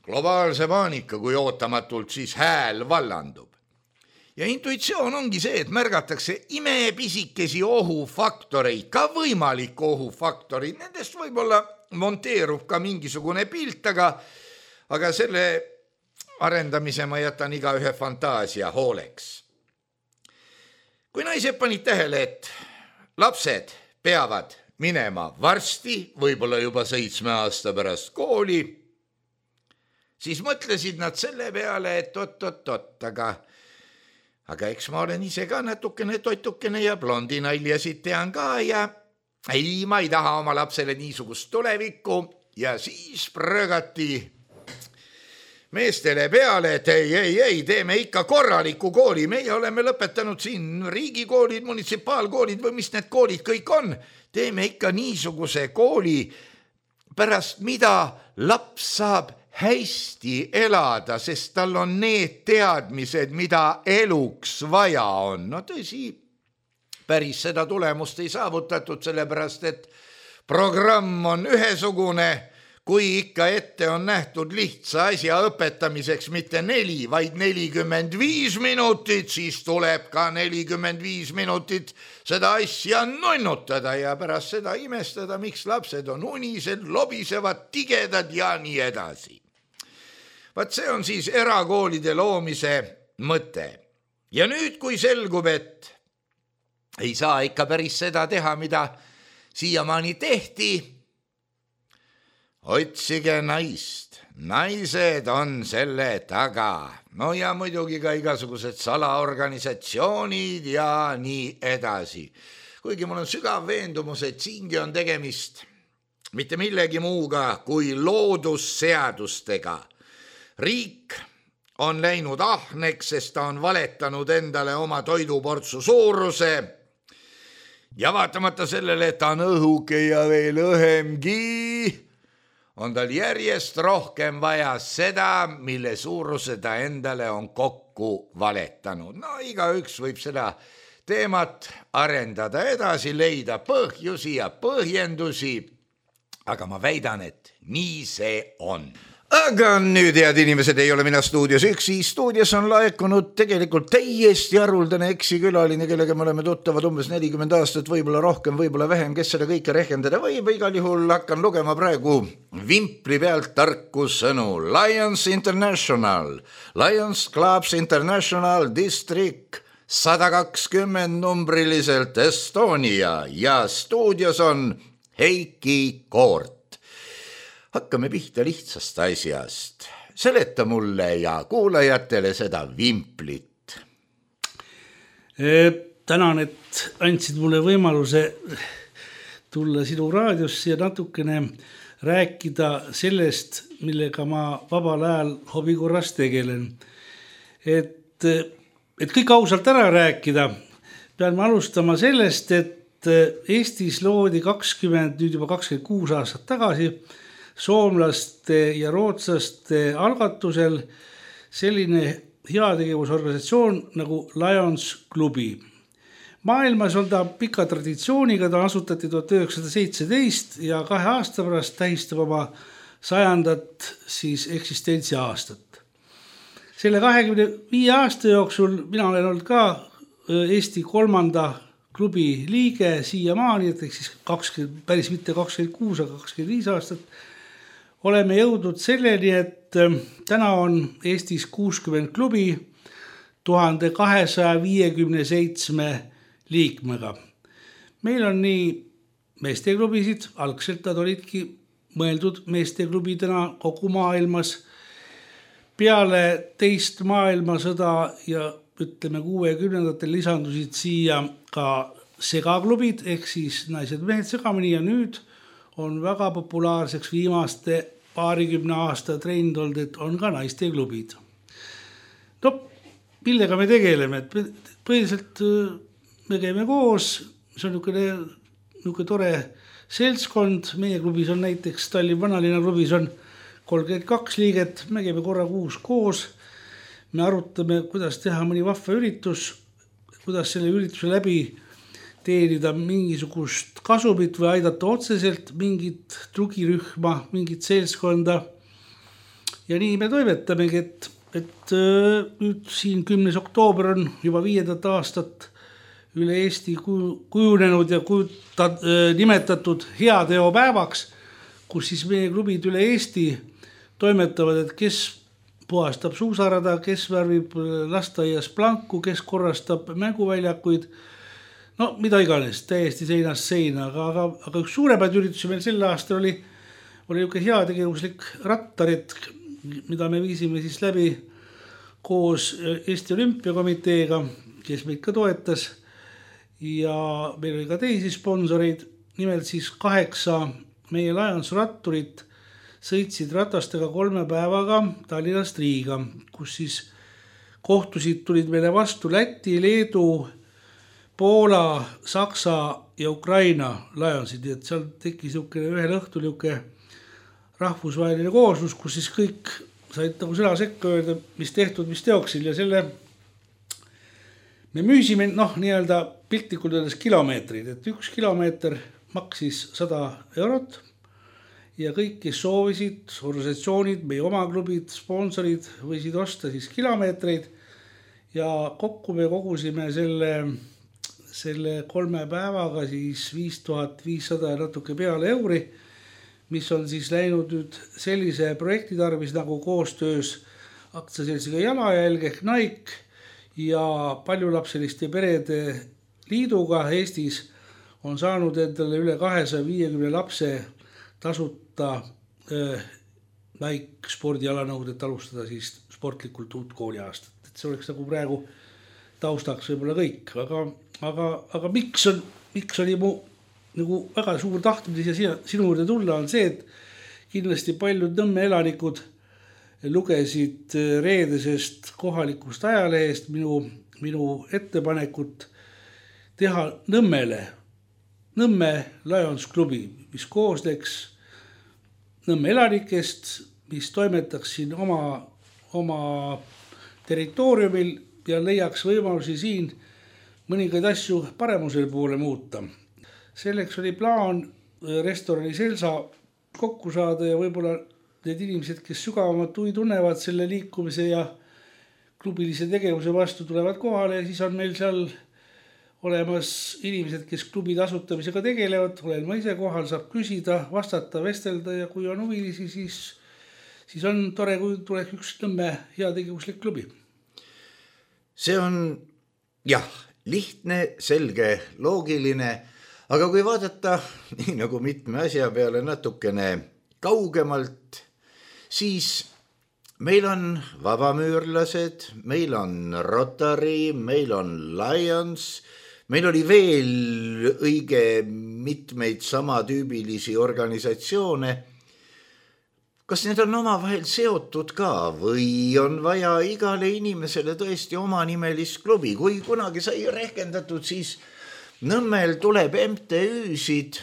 globaalse paanika, kui ootamatult siis hääl vallandub. Ja intuitsioon ongi see, et märgatakse imepisikesi ohufaktoreid, ka võimalik ohufaktorid. Nendest võib-olla monteerub ka mingisugune pilt, aga, aga selle arendamise ma jätan iga ühe fantaasia hooleks. Kui naised panid tähele, et lapsed peavad minema varsti, võib-olla juba seitsme aasta pärast kooli, siis mõtlesid nad selle peale, et oot-oot-oot, aga, aga eks ma olen ise ka natukene toitukene ja blondi naljasid tean ka ja ei, ma ei taha oma lapsele niisugust tulevikku ja siis prõgati meestele peale, et ei, ei, ei, teeme ikka korraliku kooli. Meie oleme lõpetanud siin riigikoolid, munitsipaalkoolid või mis need koolid kõik on. Teeme ikka niisuguse kooli, pärast mida laps saab hästi elada, sest tal on need teadmised, mida eluks vaja on. No tõsi, päris seda tulemust ei saavutatud, sellepärast et programm on ühesugune. Kui ikka ette on nähtud lihtsa asja õpetamiseks mitte neli, vaid nelikümmend viis minutit, siis tuleb ka nelikümmend viis minutit seda asja nonnutada ja pärast seda imestada, miks lapsed on unised, lobisevad, tigedad ja nii edasi. Vaat see on siis erakoolide loomise mõte. Ja nüüd, kui selgub, et ei saa ikka päris seda teha, mida siiamaani tehti, otsige naist, naised on selle taga. No ja muidugi ka igasugused salaorganisatsioonid ja nii edasi. Kuigi mul on sügav veendumus, et siingi on tegemist mitte millegi muuga kui loodusseadustega. Riik on läinud ahneks, sest ta on valetanud endale oma toiduportsu suuruse. Ja vaatamata sellele, et ta on õhuke ja veel õhemgi, on tal järjest rohkem vaja seda, mille suuruse ta endale on kokku valetanud. No igaüks võib seda teemat arendada edasi, leida põhjusi ja põhjendusi, aga ma väidan, et nii see on. Aga nüüd, head inimesed, ei ole mina stuudios üksi. Stuudios on laekunud tegelikult täiesti haruldane eksikülaline, kellega me oleme tuttavad umbes nelikümmend aastat, võib-olla rohkem, võib-olla vähem, kes seda kõike rehkendada võib. Igal juhul hakkan lugema praegu vimpli pealt tarku sõnu. Lions International, Lions Clubs International District sada kakskümmend numbriliselt Estonia ja stuudios on Heiki Koort. Hakkame pihta lihtsast asjast. Seleta mulle ja kuulajatele seda vimplit. Tänan, et andsid mulle võimaluse tulla sinu raadiosse ja natukene rääkida sellest, millega ma vabal ajal hobikorras tegelen. Et, et kõik ausalt ära rääkida, pean ma alustama sellest, et Eestis loodi kakskümmend, nüüd juba kakskümmend kuus aastat tagasi soomlaste ja rootslaste algatusel selline heategevusorganisatsioon nagu Lions klubi. Maailmas on ta pika traditsiooniga, ta asutati tuhat üheksasada seitseteist ja kahe aasta pärast tähistab oma sajandat siis eksistentsi aastat. Selle kahekümne viie aasta jooksul mina olen olnud ka Eesti kolmanda klubi liige siiamaani, et siis kakskümmend, päris mitte kakskümmend kuus, aga kakskümmend viis aastat. Oleme jõudnud selleni, et täna on Eestis kuuskümmend klubi tuhat kahesajaviiekümne seitsme liikmega. Meil on nii meesteklubisid, algselt nad olidki mõeldud meesteklubidena kogu maailmas. Peale teist maailmasõda ja ütleme kuuekümnendatel lisandusid siia ka segaklubid, ehk siis naised mehed segamini ja nüüd on väga populaarseks viimaste paarikümne aasta trend olnud, et on ka naisteklubid. No, millega me tegeleme? Põhiliselt me käime koos, see on niisugune tore seltskond. Meie klubis on näiteks Tallinn Vanalinna klubis on kolmkümmend kaks liiget, me käime korra kuus koos. Me arutame, kuidas teha mõni vahva üritus, kuidas selle ürituse läbi teenida mingisugust kasumit või aidata otseselt mingit trugirühma, mingit seltskonda. Ja nii me toimetamegi, et, et nüüd siin kümnes oktoober on juba viiendat aastat üle Eesti kujunenud ja kujutat, nimetatud heateopäevaks, kus siis meie klubid üle Eesti toimetavad, et kes puhastab suusarada, kes värvib lasteaias planku, kes korrastab mänguväljakuid. No mida iganes, täiesti seinast seina, aga, aga, aga üks suuremaid üritusi meil sel aastal oli, oli niisugune heategevuslik rattaretk, mida me viisime siis läbi koos Eesti Olümpiakomiteega, kes meid ka toetas ja meil oli ka teisi sponsoreid, nimelt siis kaheksa meie Lions ratturit sõitsid ratastega kolme päevaga Tallinnast Riiga, kus siis kohtusid tulid meile vastu Läti, Leedu, Poola, Saksa ja Ukraina Lionsid, et seal tekkis ühel õhtul rahvusvaheline kooslus, kus siis kõik said nagu sõna sekka öelda, mis tehtud, mis teoksil ja selle me müüsime noh, nii-öelda piltlikult öeldes kilomeetrid, et üks kilomeeter maksis sada eurot ja kõik, kes soovisid, organisatsioonid, meie oma klubid, sponsorid võisid osta siis kilomeetreid ja kokku me kogusime selle selle kolme päevaga siis viis tuhat viissada ja natuke peale euri, mis on siis läinud nüüd sellise projekti tarvis nagu koostöös aktsiaseltsiga Jalajälg ehk Nike ja paljulapseliste perede liiduga Eestis on saanud endale üle kahesaja viiekümne lapse tasuta äh, Nike spordialanõud, et alustada siis sportlikult uut kooliaastat. Et see oleks nagu praegu taustaks võib-olla kõik, aga, aga, aga miks, on, miks oli mu nagu väga suur tahtmine ja sinu juurde tulla on see, et kindlasti paljud Nõmme elanikud lugesid reedesest kohalikust ajalehest minu, minu ettepanekut teha Nõmmele Nõmme Lions klubi, mis koosneks Nõmme elanikest, mis toimetaks siin oma, oma territooriumil ja leiaks võimalusi siin mõningaid asju paremusel poole muuta. Selleks oli plaan restorani Selsa kokku saada ja võib-olla need inimesed, kes sügavamalt huvi tunnevad selle liikumise ja klubilise tegevuse vastu, tulevad kohale ja siis on meil seal olemas inimesed, kes klubi tasutamisega tegelevad, olen ma ise kohal, saab küsida, vastata, vestelda ja kui on huvilisi, siis, siis on tore, kui tuleks üks Nõmme heategevuslik klubi. See on jah, lihtne, selge, loogiline, aga kui vaadata nii nagu mitme asja peale natukene kaugemalt, siis meil on vabamüürlased, meil on Rotary, meil on Lions, meil oli veel õige mitmeid samatüübilisi organisatsioone. Kas need on omavahel seotud ka või on vaja igale inimesele tõesti oma nimelist klubi? Kui kunagi sai rehkendatud, siis Nõmmel tuleb M T Üsid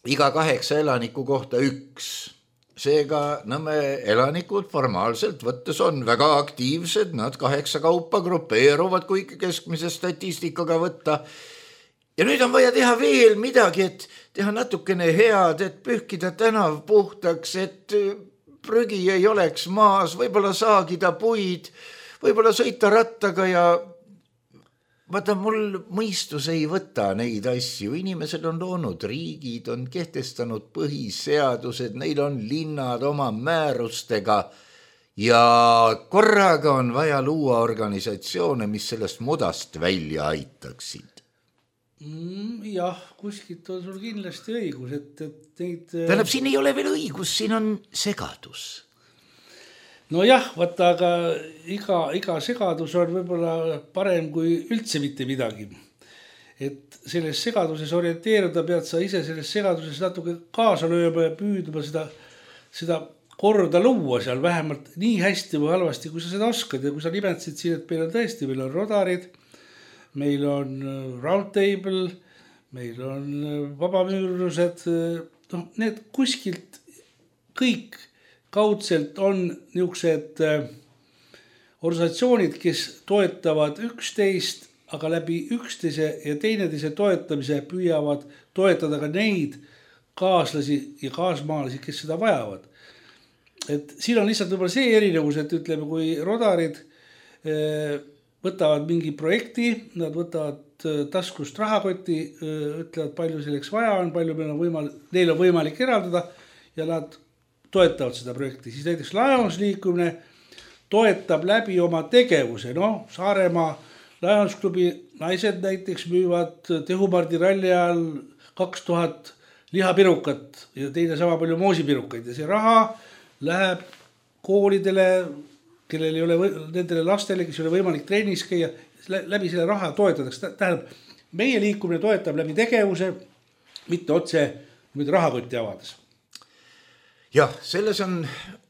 iga kaheksa elaniku kohta üks. Seega Nõmme elanikud formaalselt võttes on väga aktiivsed, nad kaheksa kaupa grupeeruvad, kui keskmise statistikaga võtta. Ja nüüd on vaja teha veel midagi, et teha natukene head, et pühkida tänav puhtaks, et prügi ei oleks maas, võib-olla saagida puid, võib-olla sõita rattaga ja vaata, mul mõistus ei võta neid asju. Inimesed on loonud riigid, on kehtestanud põhiseadused, neil on linnad oma määrustega ja korraga on vaja luua organisatsioone, mis sellest mudast välja aitaksid. Mm, jah, kuskilt on sul kindlasti õigus, et, et neid... Tähendab, siin ei ole veel õigus, siin on segadus. No jah, vaata, aga iga, iga segadus on võib-olla parem kui üldse mitte midagi. Et selles segaduses orienteeruda pead sa ise selles segaduses natuke kaasa lööma ja püüdma seda, seda korda luua seal vähemalt nii hästi või halvasti, kui sa seda oskad. Ja kui sa nimetasid siin, et meil on tõesti, meil on Rotarid, meil on Roundtable, meil on vabamüürlused, no need kuskilt kõik kaudselt on niisugused organisatsioonid, kes toetavad üksteist, aga läbi üksteise ja teineteise toetamise püüavad toetada ka neid kaaslasi ja kaasmaalasi, kes seda vajavad. Et siin on lihtsalt võib-olla see erinevus, et ütleme, kui Rotarid võtavad mingi projekti, nad võtavad taskust rahakoti, ütlevad, palju selleks vaja on, palju meil on võimalik, neil on võimalik eraldada ja nad toetavad seda projekti. Siis näiteks Lions liikumine toetab läbi oma tegevuse. No, Saaremaa Lions klubi naised näiteks müüvad Tehumardi ralli ajal kaks tuhat lihapirukat ja teine sama palju moosipirukaid. Ja see raha läheb koolidele, kellel ei ole, nendele lastele, kes ei ole võimalik trennis käia, läbi selle raha toetatakse. Tähendab, meie liikumine toetab läbi tegevuse, mitte otse mitte rahakotti avades. Jah, selles on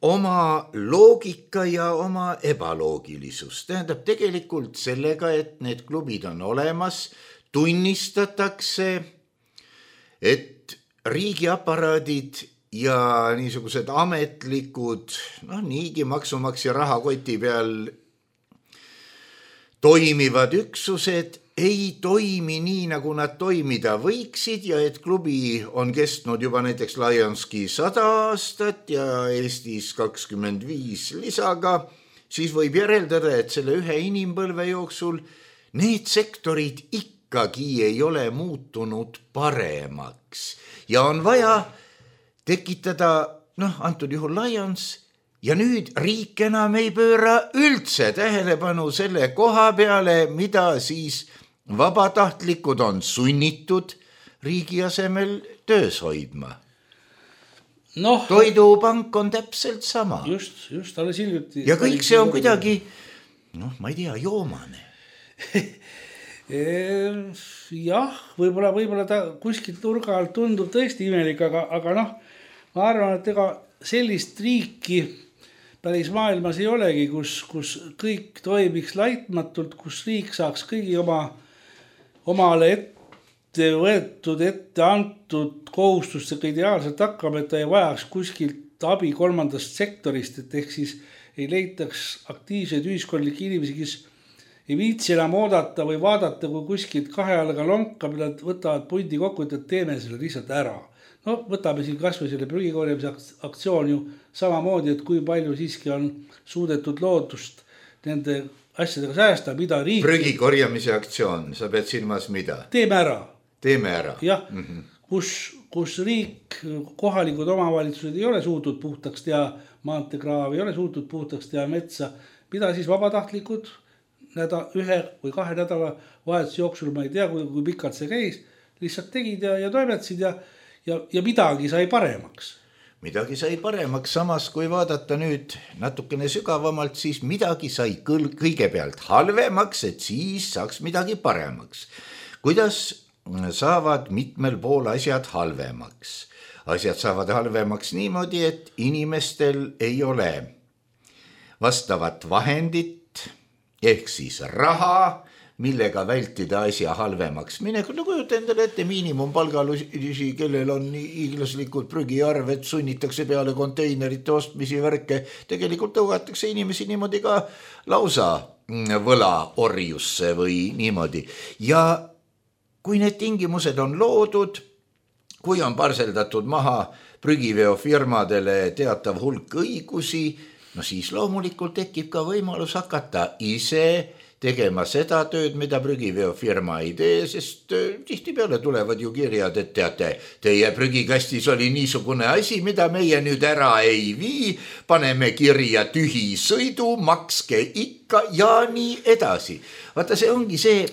oma loogika ja oma ebaloogilisus. Tähendab tegelikult sellega, et need klubid on olemas, tunnistatakse, et riigiaparaadid ja niisugused ametlikud, noh, niigi maksumaksja rahakoti peal toimivad üksused ei toimi nii, nagu nad toimida võiksid ja et klubi on kestnud juba näiteks Lionski sada aastat ja Eestis kakskümmend viis lisaga, siis võib järeldada, et selle ühe inimpõlve jooksul need sektorid ikkagi ei ole muutunud paremaks ja on vaja tekitada, noh, antud juhul Lions, ja nüüd riik enam ei pööra üldse tähelepanu selle koha peale, mida siis vabatahtlikud on sunnitud riigi asemel töös hoidma. No, toidupank on täpselt sama. Just, just, alles hiljuti. Ja kõik see on kuidagi, noh, ma ei tea, joomane. Jah, võib-olla, võib-olla ta kuskilt nurga alt tundub tõesti imelik, aga, aga noh, ma arvan, et ega sellist riiki päris maailmas ei olegi, kus, kus kõik toimiks laitmatult, kus riik saaks kõigi oma, omale ette võetud, ette antud kohustustega ideaalselt hakkama, et ta ei vajaks kuskilt abi kolmandast sektorist, et ehk siis ei leitaks aktiivseid ühiskondlikke inimesi, kes ei viitsi enam oodata või vaadata, kui kuskilt kahe jalga lonkab, nad võtavad pundi kokku, et teeme selle lihtsalt ära. no võtame siin kas või selle prügikorjamise aktsioon ju samamoodi, et kui palju siiski on suudetud loodust nende asjadega säästa, mida riik... Prügikorjamise aktsioon, sa pead silmas mida? Teeme ära. Teeme ära. Jah, mm-hmm. kus, kus riik, kohalikud omavalitsused ei ole suutnud puhtaks teha maanteekraav, ei ole suutnud puhtaks teha metsa, mida siis vabatahtlikud näda, ühe või kahe nädala vahetuse jooksul, ma ei tea, kui, kui pikalt see käis, lihtsalt tegid ja, ja toimetsid ja, ja, ja midagi sai paremaks. Midagi sai paremaks, samas kui vaadata nüüd natukene sügavamalt, siis midagi sai kõigepealt halvemaks, et siis saaks midagi paremaks. Kuidas saavad mitmel pool asjad halvemaks? Asjad saavad halvemaks niimoodi, et inimestel ei ole vastavat vahendit ehk siis raha, millega vältida asja halvemaks minek. No kujuta endale ette miinimumpalgalusi, kellel on hiiglaslikud prügiarved, sunnitakse peale konteinerite ostmisi värke. Tegelikult tõugatakse inimesi niimoodi ka lausa võlaorjusse või niimoodi. Ja kui need tingimused on loodud, kui on parseldatud maha prügiveofirmadele teatav hulk õigusi, no siis loomulikult tekib ka võimalus hakata ise tegema seda tööd, mida prügiveofirma ei tee, sest tihtipeale tulevad ju kirjad, et teate, teie prügikastis oli niisugune asi, mida meie nüüd ära ei vii, paneme kirja tühi sõidu, makske ikka ja nii edasi. Vaata, see ongi see,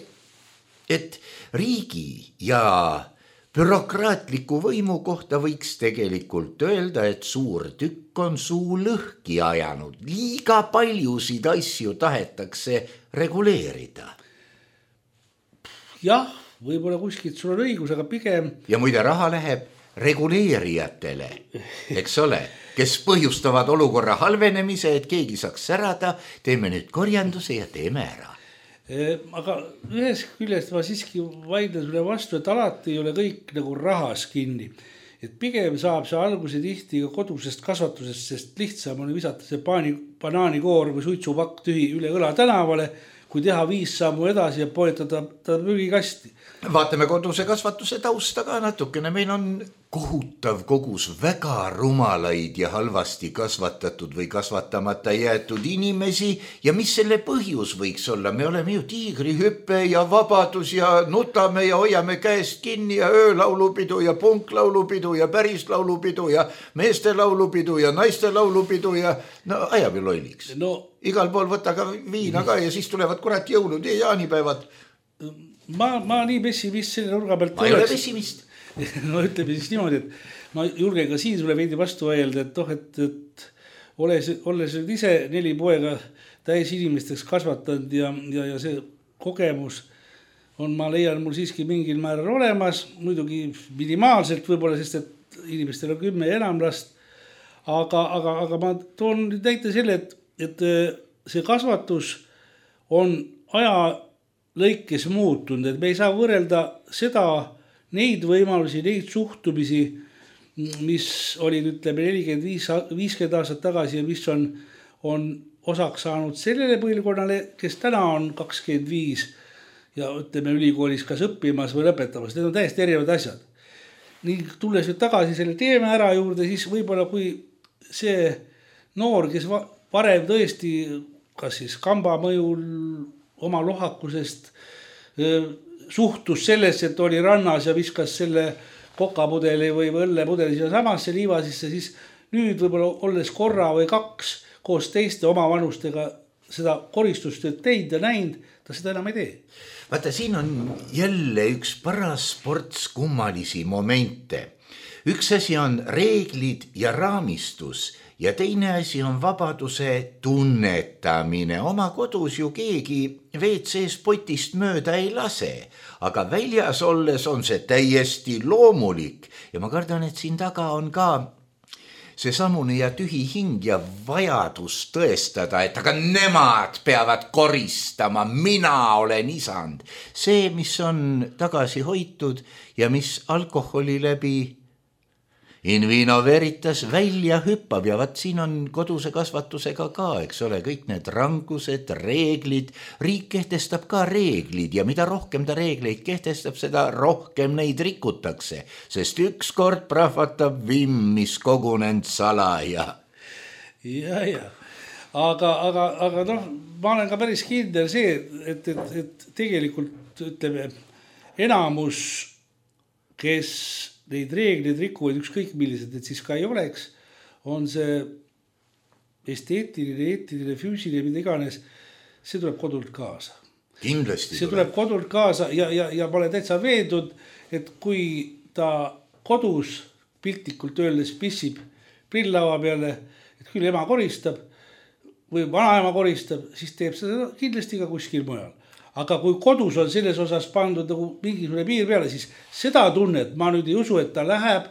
et riigi ja bürokraatliku võimu kohta võiks tegelikult öelda, et suur tükk on suu lõhki ajanud. Liiga paljusid asju tahetakse reguleerida. Jah, võib-olla kuskilt sul on õigus, aga pigem... Ja muide raha läheb reguleerijatele, eks ole, kes põhjustavad olukorra halvenemise, et keegi saaks särada, teeme nüüd korjanduse ja teeme ära. Aga ühes küljest ma siiski vaidlen sulle vastu, et alati ei ole kõik nagu rahas kinni. Et pigem saab see alguse tihti ka kodusest kasvatusest, sest lihtsam on visata see paani, banaanikoor või suitsupakk tühi üle õla tänavale, kui teha viis sammu edasi ja poetada ta prügikasti. Vaatame koduse kasvatuse tausta ka natukene. Meil on kohutav kogus väga rumalaid ja halvasti kasvatatud või kasvatamata jäetud inimesi ja mis selle põhjus võiks olla? Me oleme ju tiigrihüppe ja vabadus ja nutame ja hoiame käest kinni ja öölaulupidu ja punklaulupidu ja päris laulupidu ja meeste laulupidu ja naiste laulupidu ja no ajab ju lolliks. No, igal pool võtta ka viina ka ja siis tulevad kurat jõulud ja jaanipäevad. Ma, ma nii pessimist selle nurga pealt ma ei ole pessimist. No ütleme siis niimoodi, et ma julgen ka siin sulle veidi vastu öelda, et toh, et, et olles, olles ise neli poega täis inimesteks kasvatanud ja, ja, ja see kogemus on, ma leian, mul siiski mingil määral olemas, muidugi minimaalselt võib-olla, sest et inimestel on kümme ja enam last, aga, aga, aga ma toon näite selle, et, et see kasvatus on aja lõikes muutunud, et me ei saa võrrelda seda, neid võimalusi, neid suhtumisi, mis olid, ütleme, nelikümmend viis, viiskümmend aastat tagasi ja mis on, on osaks saanud sellele põlvkonnale, kes täna on kakskümmend viis ja ütleme ülikoolis kas õppimas või lõpetamas. Need on täiesti erinevad asjad. Nii tulles nüüd tagasi selle teeme ära juurde, siis võib-olla kui see noor, kes varem tõesti, kas siis kamba mõjul oma lohakusest suhtus sellesse, et oli rannas ja viskas selle kokapudeli või õllepudeli siia samasse liiva sisse, siis nüüd võib-olla olles korra või kaks koos teiste omavanustega seda koristustööd teid ja näinud, ta seda enam ei tee. Vaata, siin on jälle üks paras sports kummalisi momente. Üks asi on reeglid ja raamistus ja teine asi on vabaduse tunnetamine. Oma kodus ju keegi V C-s potist mööda ei lase, aga väljas olles on see täiesti loomulik. Ja ma kardan, et siin taga on ka see samune ja tühi hing ja vajadus tõestada, et aga nemad peavad koristama, mina olen isand. See, mis on tagasi hoitud ja mis alkoholi läbi In vino veritas välja hüppab ja vaat siin on koduse kasvatusega ka, eks ole, kõik need rangused, reeglid, riik kehtestab ka reeglid ja mida rohkem ta reegleid kehtestab, seda rohkem neid rikutakse, sest ükskord prahvatab vimm, mis kogunend salaja. Ja, ja, aga, aga, aga noh, ma olen ka päris kindel see, et, et, et tegelikult ütleme, enamus, kes neid reeglid rikuvad ükskõik millised, et siis ka ei oleks, on see esteetiline, eetiline, füüsiline, mida iganes, see tuleb kodult kaasa. Kindlasti see tuleb kodult kaasa ja, ja, ja ma olen täitsa veendud, et kui ta kodus piltlikult öeldes pissib prillava peale, et küll ema koristab või vanaema koristab, siis teeb seda kindlasti ka kuskil mujal. Aga kui kodus on selles osas pandud nagu mingisugune piir peale, siis seda tunnet ma nüüd ei usu, et ta läheb,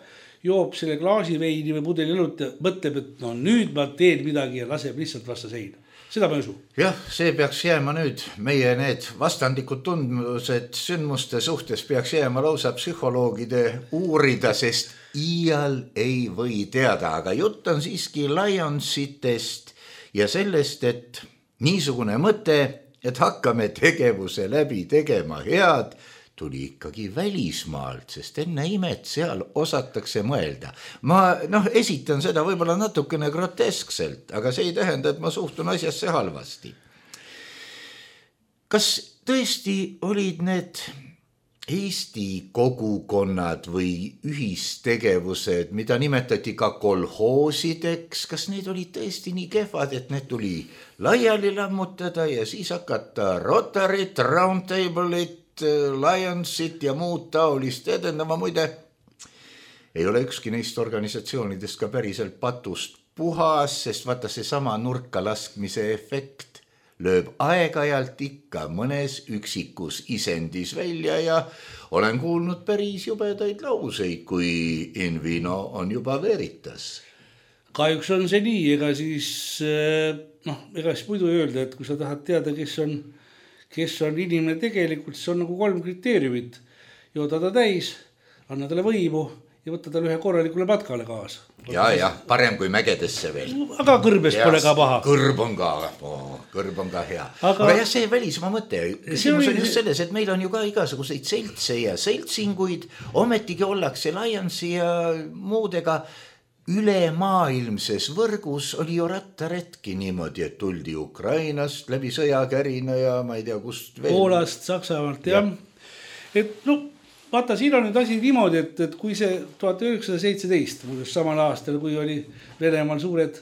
joob selle klaasi veini või pudeli õlut ja mõtleb, et no nüüd ma teen midagi ja laseb lihtsalt vasta seina. Seda ma ei usu. Jah, see peaks jääma nüüd, meie need vastandikud tundmused sündmuste suhtes peaks jääma lausa psühholoogide uurida, sest iial ei või teada, aga jutt on siiski Lionsitest ja sellest, et niisugune mõte, et hakkame tegevuse läbi tegema head, tuli ikkagi välismaalt, sest enne imet seal osatakse mõelda. Ma noh, esitan seda võib-olla natukene groteskselt, aga see ei tähenda, et ma suhtun asjasse halvasti. Kas tõesti olid need Eesti kogukonnad või ühistegevused, mida nimetati ka kolhoosideks, kas need olid tõesti nii kehvad, et need tuli laiali lammutada ja siis hakata Rotaryt, Roundtable'it, Lionsit ja muud taolist edendama? Muide, ei ole ükski neist organisatsioonidest ka päriselt patust puhas, sest vaata see sama nurka laskmise efekt lööb aeg-ajalt ikka mõnes üksikus isendis välja ja olen kuulnud päris jubedaid lauseid, kui in vino on juba veritas. Kahjuks on see nii, ega siis, noh, ega siis muidu öelda, et kui sa tahad teada, kes on, kes on inimene tegelikult, siis on nagu kolm kriteeriumit. Jooda ta täis, anna talle võimu ja võtta talle ühe korralikule matkale kaasa. Ja, ja, parem kui mägedesse veel. Aga kõrbes pole ka paha. Kõrb on ka, oh, kõrb on ka hea. Aga, aga jah, see välismaa mõte. Küsimus on just selles, et meil on ju ka igasuguseid seltse ja seltsinguid, ometigi ollakse Lionsi ja muudega ülemaailmses võrgus oli ju rattaretki niimoodi, et tuldi Ukrainast läbi sõjakärina ja ma ei tea, kust veel. Poolast, Saksamaalt, jah. Et no, vaata, siin on nüüd asi niimoodi, et, et kui see tuhat üheksasada seitseteist, samal aastal, kui oli Venemaal suured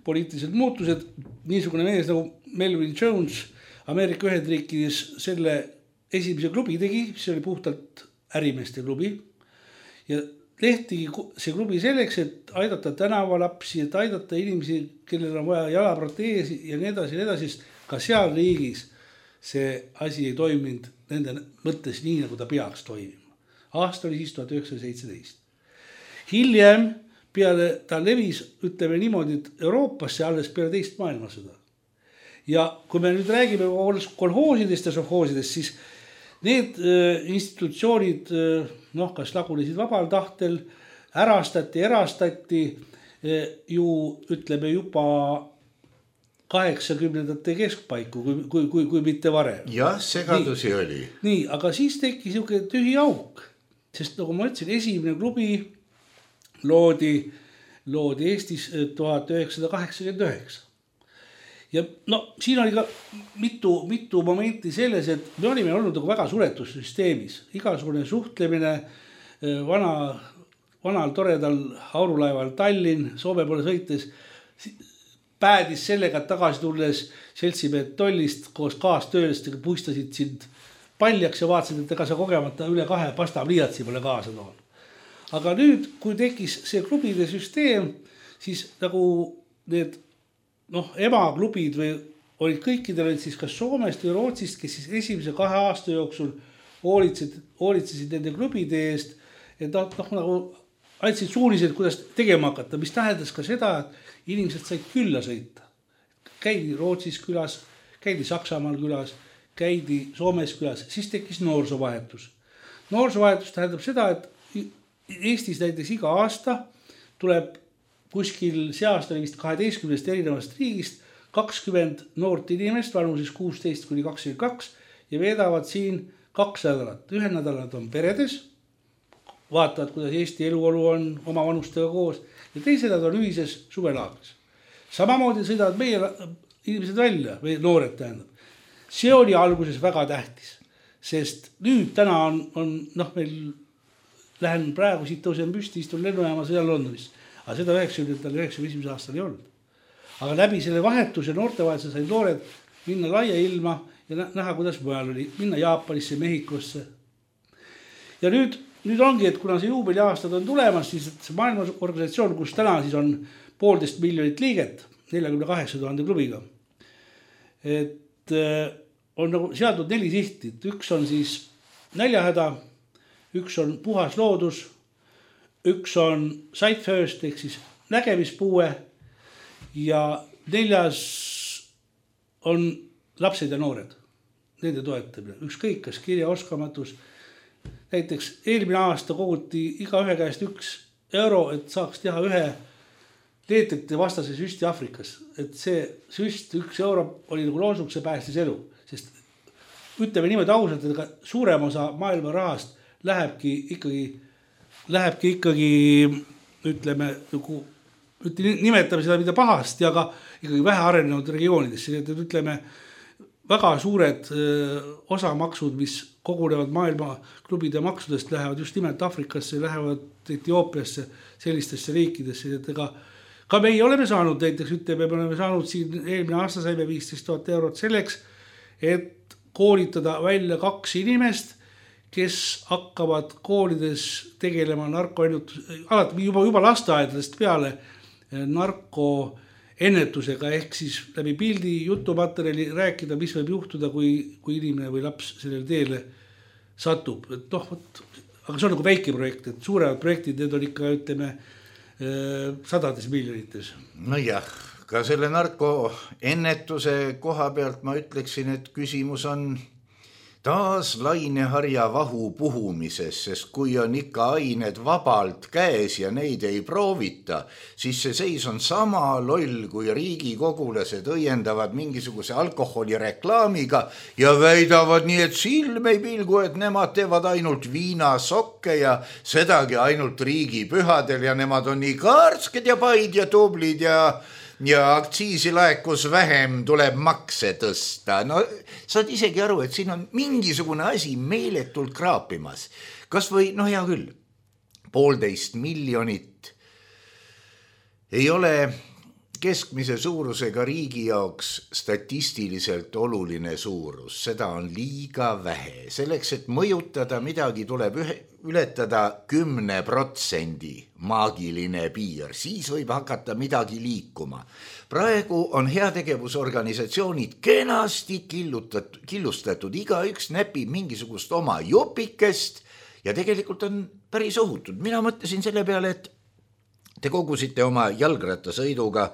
poliitilised muutused, niisugune mees nagu Melvin Jones Ameerika Ühendriikides selle esimese klubi tegi, see oli puhtalt ärimeeste klubi ja lehtigi see klubi selleks, et aidata tänavalapsi, et aidata inimesi, kellel on vaja jalaproteesi ja nii edasi, nii edasi, ka seal riigis see asi ei toiminud nende mõttes nii, nagu ta peaks toimima. Aasta oli siis tuhat üheksasada seitseteist. Hiljem peale ta levis, ütleme niimoodi, et Euroopasse alles peale teist maailmasõda. Ja kui me nüüd räägime kolhoosidest ja sovhoosidest, siis need institutsioonid, noh, kas lagunesid vabal tahtel, ärastati, erastati ju, ütleme, juba kaheksakümnendate keskpaiku, kui, kui, kui, kui mitte varem. Jah, segadusi nii, oli. Nii, aga siis teki siuke tühi auk, sest nagu ma ütlesin, esimene klubi loodi, loodi Eestis tuhat üheksasada kaheksakümmend üheksa. Ja no siin oli ka mitu, mitu momenti selles, et me olime olnud nagu väga suletussüsteemis. Igasugune suhtlemine vana, vanal toredal aurulaeval Tallinn, Soome poole sõites, päädis sellega, et tagasi tulles seltsimehed tollist koos kaastöölistega puistasid sind paljaks ja vaatasid, et ega sa kogemata üle kahe pastapliiatsi pole kaasa toon. Aga nüüd, kui tekkis see klubide süsteem, siis nagu need noh, emaklubid või olid kõikidel olid siis kas Soomest või Rootsist, kes siis esimese kahe aasta jooksul hoolitsesid, hoolitsesid nende klubide eest, et noh, nagu andsid suunised, kuidas tegema hakata, mis tähendas ka seda, et inimesed said külla sõita. Käidi Rootsis külas, käidi Saksamaal külas, käidi Soomes külas, siis tekkis noorsoovahetus. Noorsoovahetus tähendab seda, et Eestis näiteks iga aasta tuleb kuskil seast oli vist kaheteistkümnest erinevast riigist kakskümmend noort inimest vanuses kuusteist kuni kakskümmend kaks ja veedavad siin kaks nädalat. Ühe nädalat on peredes, vaatavad, kuidas Eesti eluolu on oma vanustega koos ja teised nad on ühises suvelaagris. Samamoodi sõidavad meie inimesed välja, või noored tähendab. See oli alguses väga tähtis, sest nüüd täna on, on noh, meil lähen praegu siit tõusen püsti, istun lennujaama sõjan Londonis. Aga seda üheksakümnendatel üheksakümne esimesel aastal ei olnud. Aga läbi selle vahetuse noortevahetuse said noored minna laia ilma ja näha, kuidas mujal oli. Minna Jaapanisse, Mehhikosse. Ja nüüd, nüüd ongi, et kuna see juubeli aastad on tulemas, siis see maailmaorganisatsioon, kus täna siis on poolteist miljonit liiget, neljakümne kaheksa tuhande klubiga, et on nagu seadnud neli sihti. Üks on siis näljahäda, üks on puhas loodus, üks on sight first ehk siis nägemispuue ja neljas on lapsed ja noored, nende toetamine. Ükskõik, kas kirjaoskamatus. Näiteks eelmine aasta koguti iga ühe käest üks euro, et saaks teha ühe leetrite vastase süsti Afrikas. Et see süst, üks euro oli nagu loosung, see päästis elu. Sest ütleme niimoodi ausalt, et suurem osa maailma rahast lähebki ikkagi lähebki ikkagi, ütleme, nagu, nimetame seda mida pahast ja ka ikkagi vähe arenenud regioonidesse. Et ütleme, väga suured osamaksud, mis kogunevad maailma klubide maksudest, lähevad just nimelt Afrikasse, lähevad Etioopiasse, sellistesse riikidesse. Et ega, ka meie oleme saanud, näiteks ütleme, me oleme saanud siin eelmine aasta saime viisteist tuhat eurot selleks, et koolitada välja kaks inimest, kes hakkavad koolides tegelema narkoennetus, alati juba, juba lasteaedadest peale narkoennetusega, ehk siis läbi pildi jutumaterjali rääkida, mis võib juhtuda, kui, kui inimene või laps sellele teele satub. Et noh, aga see on nagu väike projekt, et suuremad projektid, need on ikka, ütleme, sadades miljonites. No jah, ka selle narkoennetuse koha pealt ma ütleksin, et küsimus on taas laineharja vahu puhumises, sest kui on ikka ained vabalt käes ja neid ei proovita, siis see seis on sama loll, kui riigikogulased õiendavad mingisuguse alkoholireklaamiga ja väidavad nii, et silm ei pilgu, et nemad teevad ainult viinasokke ja sedagi ainult riigipühadel ja nemad on nii karsked ja paid ja tublid ja ja aktsiisi laekus vähem, tuleb makse tõsta. No saad isegi aru, et siin on mingisugune asi meeletult kraapimas. Kas või, no hea küll, poolteist miljonit ei ole keskmise suurusega riigi jaoks statistiliselt oluline suurus. Seda on liiga vähe. Selleks, et mõjutada midagi, tuleb ühe, ületada kümne protsendi maagiline piir. Siis võib hakata midagi liikuma. Praegu on heategevusorganisatsioonid kenasti killustatud, killustatud. Iga üks näpib mingisugust oma jopikest ja tegelikult on päris ohutud. Mina mõtlesin selle peale, et te kogusite oma jalgrattasõiduga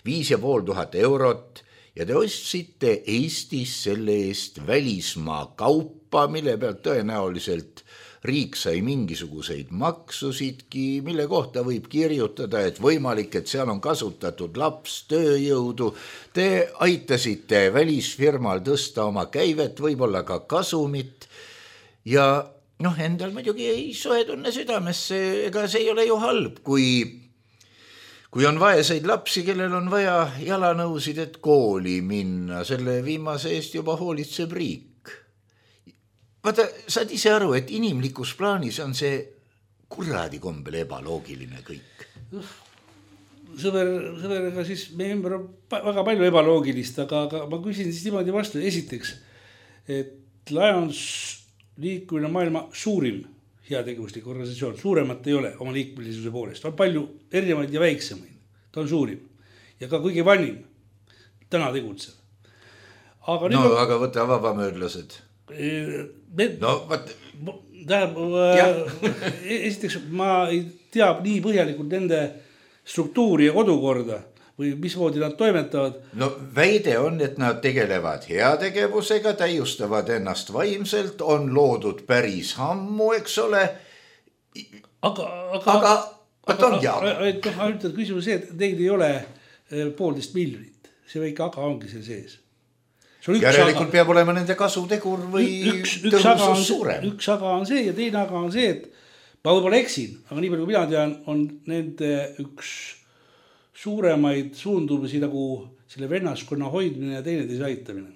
viis ja pool tuhat eurot ja te ostsite Eestis selle eest välismaa kaupa, mille pealt tõenäoliselt riik sai mingisuguseid maksusidki, mille kohta võib kirjutada, et võimalik, et seal on kasutatud laps tööjõudu. Te aitasite välisfirmal tõsta oma käivet, võib-olla ka kasumit ja noh, endal muidugi ei soe tunne südamesse, ega see ei ole ju halb, kui Kui on vaeseid lapsi, kellel on vaja jalanõusid, et kooli minna, selle viimase eest juba hoolitseb riik. Vaata, saad ise aru, et inimlikus plaanis on see kuradi kombel ebaloogiline kõik. Sõber, sõberega siis meie ümber on väga palju ebaloogilist, aga, aga ma küsin siis niimoodi vastu. Esiteks, et Lions liikumine maailma suurim heategevuslik organisatsioon, suuremat ei ole oma liikmelisuse poolest, on palju erinevaid ja väiksemaid, ta on suurim ja ka kõige vanim täna tegutseb. Aga no nüüd, aga võta vabamöörlased. Need, no võt... tähendab, esiteks ma ei tea nii põhjalikult nende struktuuri ja kodukorda või mismoodi nad toimetavad. No väide on, et nad tegelevad heategevusega, täiustavad ennast vaimselt, on loodud päris ammu, eks ole. Aga, aga, aga, ainult ainult küsimus see, et teil ei ole poolteist miljonit, see väike aga ongi seal sees. Järelikult aga, peab olema nende kasutegur või üks, üks tõhusus suurem. Üks aga on see ja teine aga on see, et ma võib-olla eksin, aga nii palju kui mina tean, on nende üks suuremaid suundumisi nagu selle vennaskonna hoidmine ja teineteise aitamine.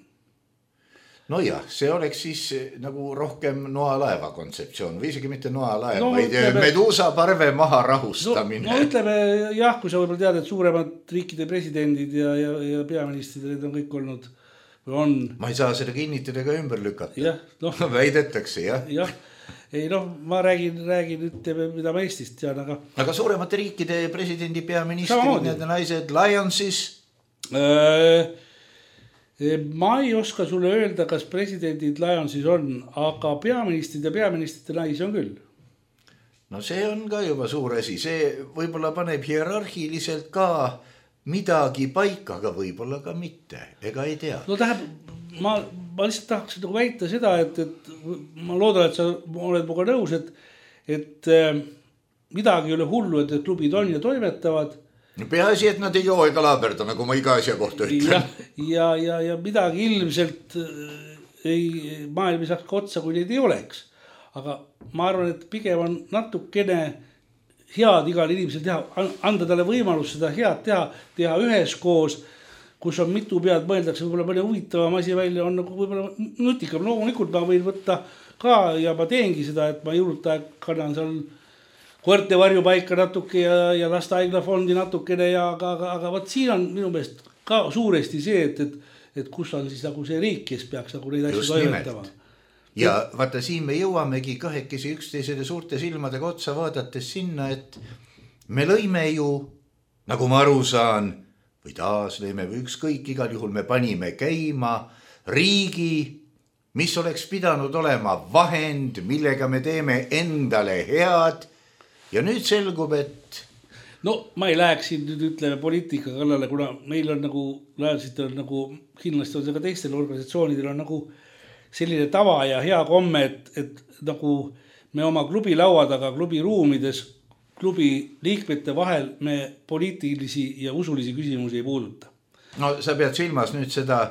No jah, see oleks siis nagu rohkem noalaeva kontseptsioon või isegi mitte noalaeva, no, vaid ütleme, meduusa parve maha rahustamine. No, no ütleme jah, kui sa võib-olla tead, et suuremad riikide presidendid ja, ja, ja peaministrid, need on kõik olnud või on. Ma ei saa seda kinnitada ega ümber lükata. Jah, no. Väidetakse, jah. Jah, ei noh, ma räägin, räägin ütleme, mida ma Eestist tean, aga. Aga suuremate riikide presidendi peaministrid, need naised, Lyonsis. Äh, Ma ei oska sulle öelda, kas presidendid Lyonsis on, aga peaministrid ja peaministrite naisi on küll. No see on ka juba suur asi, see võib-olla paneb hierarhiliselt ka midagi paika, aga võib-olla ka mitte, ega ei tea. No täheb, ma, ma lihtsalt tahaks nagu väita seda, et, et ma loodan, et sa oled muga nõus, et, et midagi ei ole hullu, et klubid on ja toimetavad. Peaasi, et nad ei joo ega laaberda, nagu ma iga asja kohta ütlen. Ja, ja, ja, ja midagi ilmselt ei, maailm ei saaks otsa, kui neid ei oleks. Aga ma arvan, et pigem on natukene head igal inimesel teha, anda talle võimalus seda head teha, teha üheskoos, kus on mitu pead, mõeldakse võib-olla mõne huvitavam asi välja, on nagu võib-olla nutikam. Loomulikult ma võin võtta ka ja ma teengi seda, et ma jõuluta kannan seal koerte varjupaika natuke ja, ja lastehaiglafondi natukene ja aga, aga, aga võt siin on minu meelest ka suuresti see, et, et, et kus on siis nagu see riik, kes peaks nagu neid asju toimetama. Ja vaata siin me jõuamegi kahekesi üksteisele suurte silmadega otsa vaadates sinna, et me lõime ju, nagu ma aru saan, või taas lõime või ükskõik, igal juhul me panime käima riigi, mis oleks pidanud olema vahend, millega me teeme endale head. Ja nüüd selgub, et... No ma ei läheks siin nüüd ütleme poliitika kallale, kuna meil on nagu, lajalisitel on nagu, kindlasti on see ka teistel organisatsioonidel on nagu selline tava ja hea komme, et, et nagu me oma klubi laua taga, klubi ruumides, klubi liikmete vahel me poliitilisi ja usulisi küsimusi ei puuduta. No sa pead silmas nüüd seda...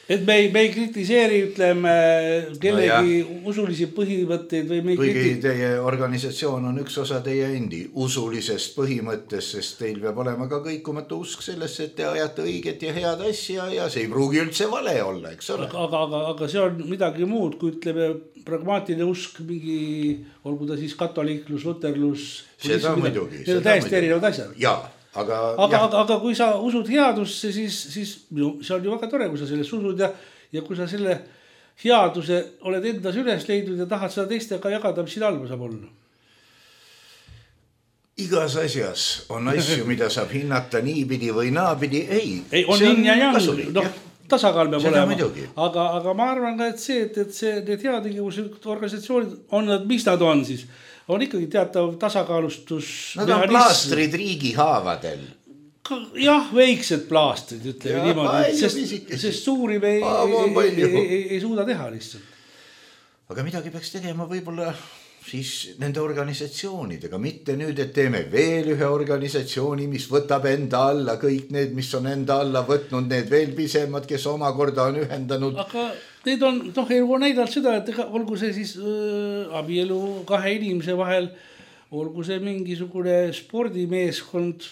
Et me ei, me ei kritiseeri, ütleme, kellegi no usulisi põhimõtteid või me ei Kuigi kriti... teie organisatsioon on üks osa teie endi usulisest põhimõttest, sest teil peab olema ka kõikumatu usk sellesse, et te ajate õiget ja head asja ja see ei pruugi üldse vale olla, eks ole. Aga, aga, aga see on midagi muud, kui ütleme pragmaatiline usk, mingi, olgu ta siis katoliiklus, luterlus. Seda muidugi. Need on täiesti erinevad asjad. Jaa. Aga, aga, aga, aga kui sa usud headusse, siis, siis see on ju väga tore, kui sa selles usud ja, ja kui sa selle headuse oled endas üles leidnud ja tahad seda teistega jagada, mis siin halba saab olla. Igas asjas on asju, mida saab hinnata niipidi või naapidi. Ei, ei on nii ja jang, noh, tasakaal peab olema. Aga, aga ma arvan ka, et see, et, et see, need heategevused organisatsioonid on nad, mis nad on siis? On ikkagi teatav tasakaalustus. Nad on plaastrid riigi haavadel. Jah, väiksed plaastrid, ütleme niimoodi, sest, sest suuri me ei, ei, ei, ei, ei suuda teha lihtsalt. Aga midagi peaks tegema võib-olla siis nende organisatsioonidega, mitte nüüd, et teeme veel ühe organisatsiooni, mis võtab enda alla kõik need, mis on enda alla võtnud, need veel pisemad, kes omakorda on ühendanud. Aga need on, noh, elu on näidanud seda, et olgu see siis äh, abielu kahe inimese vahel, olgu see mingisugune spordimeeskond,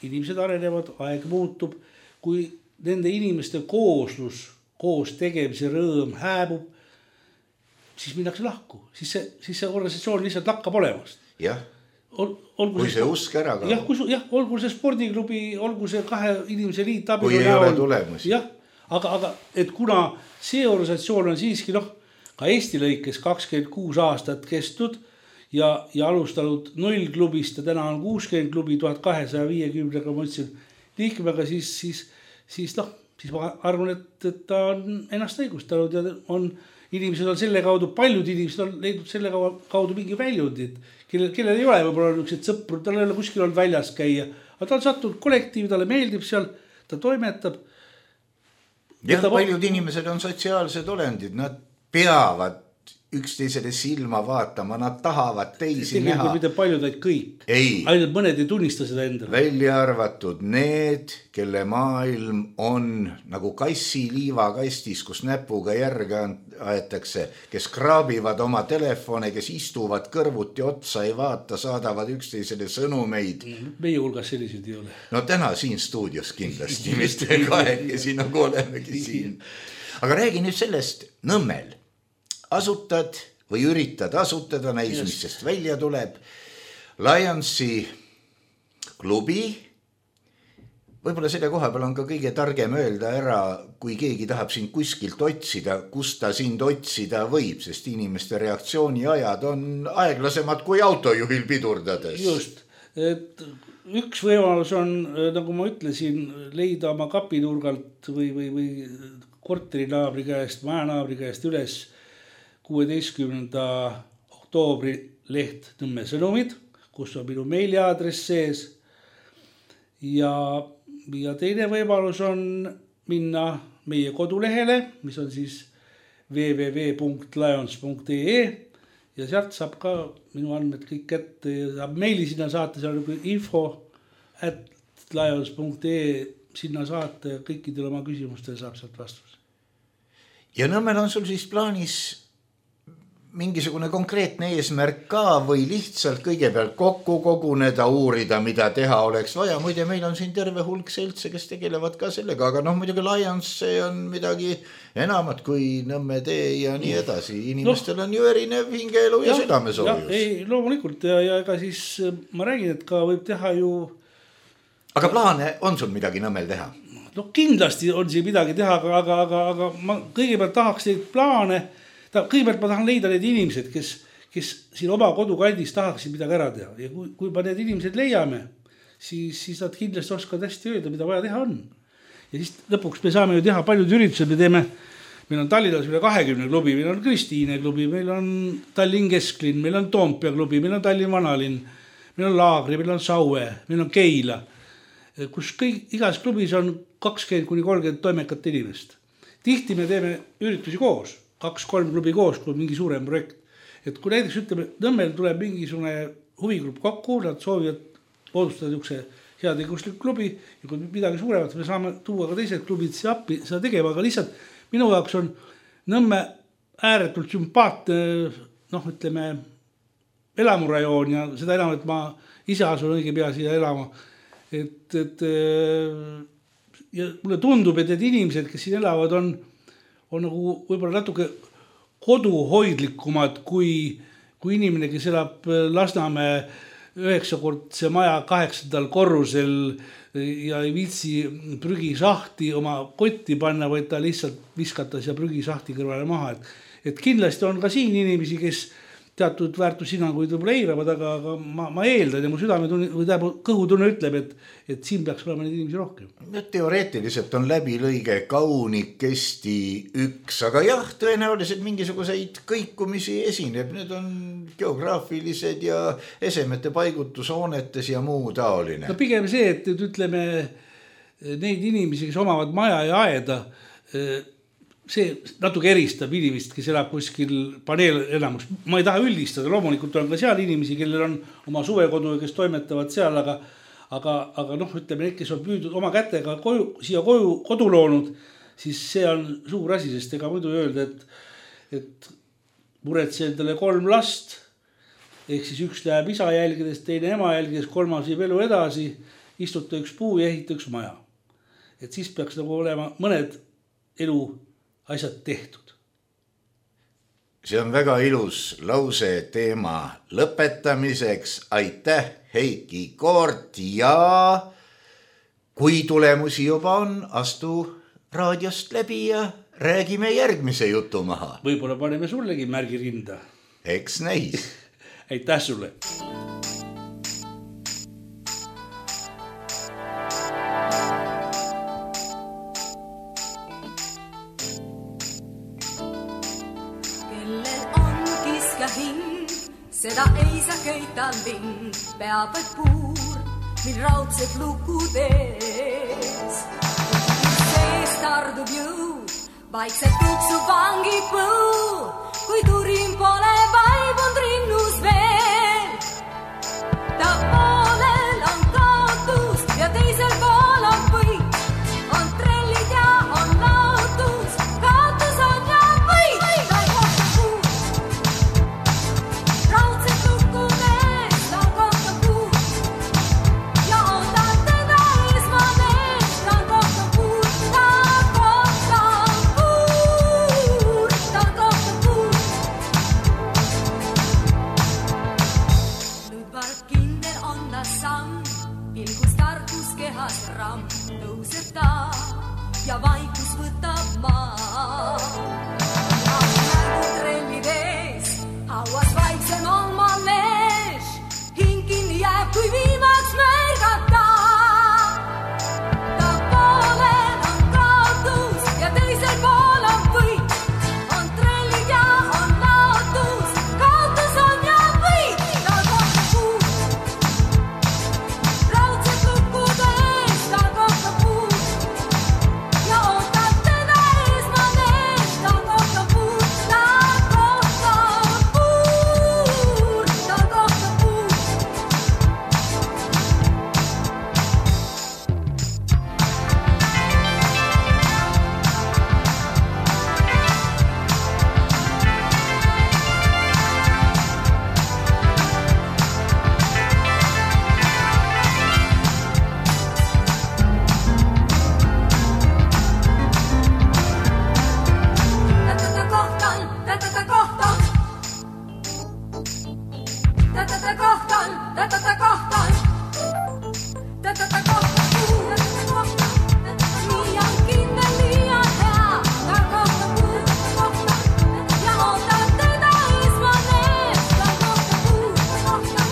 inimesed arenevad, aeg muutub, kui nende inimeste kooslus, koos tegemise rõõm hääbub, siis minnakse lahku, siis see, siis see organisatsioon lihtsalt lakkab olemast. Jah, Ol, kui see usk ära ka. Jah, kui, jah, olgu see spordiklubi, olgu see kahe inimese liit. Kui ei ole tulemusi. Jah, aga, aga et kuna see organisatsioon on siiski, noh, ka Eesti lõikes kakskümmend kuus aastat kestnud ja, ja alustanud null klubist ja täna on kuuskümmend klubi tuhat kahesaja viiekümne, nagu ma ütlesin, liikmega, siis, siis, siis, noh, siis ma arvan, et, et ta on ennast õigustanud ja on inimesed on selle kaudu, paljud inimesed on leidnud selle kaudu mingi väljundid, kellel, kellel ei ole võib-olla niisugused sõpru, tal ei ole kuskil olnud väljas käia, aga ta on sattunud kollektiivi, talle meeldib seal, ta toimetab. Jah, ta... paljud inimesed on sotsiaalsed olendid, nad peavad üksteisele silma vaatama, nad tahavad teisi tegelikult näha. mitte paljud, et kõik. Ei. Ainult mõned ei tunnista seda endale. Välja arvatud need, kelle maailm on nagu kassi liivakastis, kus näpuga järge aetakse, kes kraabivad oma telefone, kes istuvad kõrvuti otsa, ei vaata, saadavad üksteisele sõnumeid. Meie hulgas sellised ei ole. No täna siin stuudios kindlasti, mitte kahekesi nagu olemegi siin. Aga räägi nüüd sellest Nõmmel. Asutad või üritad asutada, näis, mis sest välja tuleb. Lionsi klubi. Võib-olla selle koha peal on ka kõige targem öelda ära, kui keegi tahab sind kuskilt otsida, kus ta sind otsida võib, sest inimeste reaktsiooniajad on aeglasemad kui autojuhil pidurdades. Just, et üks võimalus on, nagu ma ütlesin, leida oma kapinurgalt või, või, või korterinaabri käest, majanaabri käest üles kuueteistkümnenda oktoobri leht Nõmme Sõnumid, kus on minu meiliaadress sees. Ja, ja teine võimalus on minna meie kodulehele, mis on siis w w w punkt lions punkt e e ja sealt saab ka minu andmed kõik kätte ja saab meili sinna saata, seal on info at lions punkt e e sinna saata ja kõikidele oma küsimustele saab sealt vastus. Ja Nõmmel on sul siis plaanis mingisugune konkreetne eesmärk ka või lihtsalt kõigepealt kokku koguneda, uurida, mida teha oleks vaja. Muide, meil on siin terve hulk seltse, kes tegelevad ka sellega, aga noh, muidugi Lions see on midagi enamat kui Nõmme tee ja nii edasi. Inimestel no, on ju erinev hingeelu ja, ja südamesoojus. Ei, loomulikult ja, ja ega siis ma räägin, et ka võib teha ju... Aga plaane on sul midagi Nõmmel teha? No kindlasti on siin midagi teha, aga, aga, aga, aga ma kõigepealt tahaks neid plaane... Kõigepealt ma tahan leida need inimesed, kes, kes siin oma kodukandis tahaksid midagi ära teha. Ja kui, kui me need inimesed leiame, siis, siis nad kindlasti oskavad hästi öelda, mida vaja teha on. Ja siis lõpuks me saame ju teha paljud üritused. Me teeme, meil on Tallinnas üle kahekümne klubi, meil on Kristiine klubi, meil on Tallinn Kesklinn, meil on Toompea klubi, meil on Tallinn Vanalinn, meil on Laagri, meil on Saue, meil on Keila, kus kõik, igas klubis on kakskümmend kuni kolmkümmend toimekat inimest. Tihti me teeme üritusi koos. Kaks-kolm klubi koos, kui mingi suurem projekt. Et kui näiteks ütleme, Nõmmel tuleb mingisugune huvigrupp kokku, nad soovivad moodustada niisuguse heategevuslik klubi ja kui midagi suuremat, me saame tuua ka teised klubid siia appi seda tegema, aga lihtsalt minu jaoks on Nõmme ääretult sümpaatne, noh, ütleme, elamurajoon ja seda enam, et ma ise asun õige pea siia elama. Et, et ja mulle tundub, et need inimesed, kes siin elavad, on on nagu võib-olla natuke koduhoidlikumad kui, kui inimene, kes elab Lasnamäe üheksakordse maja kaheksandal korrusel ja ei viitsi prügisahti oma kotti panna, vaid ta lihtsalt viskata siia prügisahti kõrvale maha. Et, et kindlasti on ka siin inimesi, kes teatud väärtushinnanguid võib-olla eiravad, aga, aga ma, ma eeldan ja mu südametunne või tähendab, kõhutunne ütleb, et, et siin peaks olema neid inimesi rohkem. Teoreetiliselt on läbilõige kaunikesti üks, aga jah, tõenäoliselt mingisuguseid kõikumisi esineb. Need on geograafilised ja esemete paigutushoonetes ja muu taoline. No pigem see, et ütleme neid inimesi, kes omavad maja ja aeda, see natuke eristab inimest, kes elab kuskil paneel elamus. Ma ei taha üldistada, loomulikult on ka seal inimesi, kellel on oma suvekodu ja kes toimetavad seal, aga, aga, aga noh, ütleme, need, kes on püüdud oma kätega koju, siia koju, kodu loonud, siis see on suur asi, sest ega muidu öelda, et, et muretsi endale kolm last, ehk siis üks läheb isa jälgides, teine ema jälgides, kolmas viib elu edasi, istuta üks puu ja ehita üks maja. Et siis peaks nagu olema mõned elu asjad tehtud. See on väga ilus lause teema lõpetamiseks. Aitäh, Heiki Koort, ja kui tulemusi juba on, astu raadiost läbi ja räägime järgmise jutu maha. Võib-olla paneme sullegi märgi rinda. Eks näis. Aitäh sulle. Seda ei saa köita lind, peab vaid puur, mil raudsed lukud ees. Sees tardub jõu, vaikselt tuksub vangipõu, kui turin pole vaibund rinnus veel. Ta poolel on kaotus ja teisel pool on võit. On trellid ja on laotus, kaotus on ja võit. Ta kohtab puud, raudset lukkudes, ta kohtab puud ja oodab teda esmamees. Ta kohtab puud, ta kohtab puud, ta kohtab puud. Ludvard kindel on ta samm, pilgus tarkus kehas ramm, tõuseb ta ja vaikus võtab maa. Märgud trellid ees, hauas vaiksem on ma mees, hing kinni jääb, kui viimaks märgata. Ta poolel on kaotus ja teisel pool on võit. On trellid ja on laotus, kaotus on ja võit. Ta kohtab puud, raudset lukkudes, ta kohtab puud ja ootab teda esmamees. Ta kohtab puud, ta kohtab puud, ta kohtab puud. Tätä kohtaan, tätä kohtaan. Tätä kohtaan, tätä kohtaan. Tätä kohtaan, tätä kohtaan. Liian kindel, liian hea. Ta kohtab puud, kohtaan. Ja ootab teda esmamees. Ta kohtab puud, kohtaan.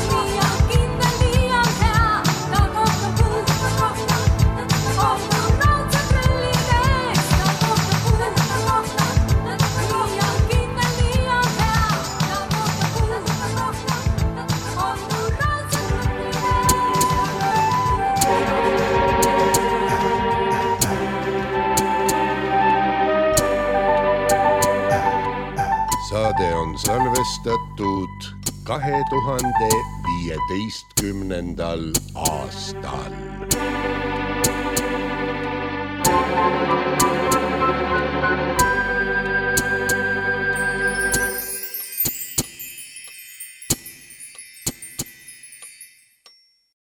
Liian kindel, liian hea. Ta kohtab puud, kohtaan. Ootab raudset trellid ees. Ta kohtab puud, kohtaan. Liian kindel, liian hea. Ta kohtab puud, kohtaan. Ootab raudset trellid ees. Saade on salvestatud kahe tuhande viieteistkümnendal aastal.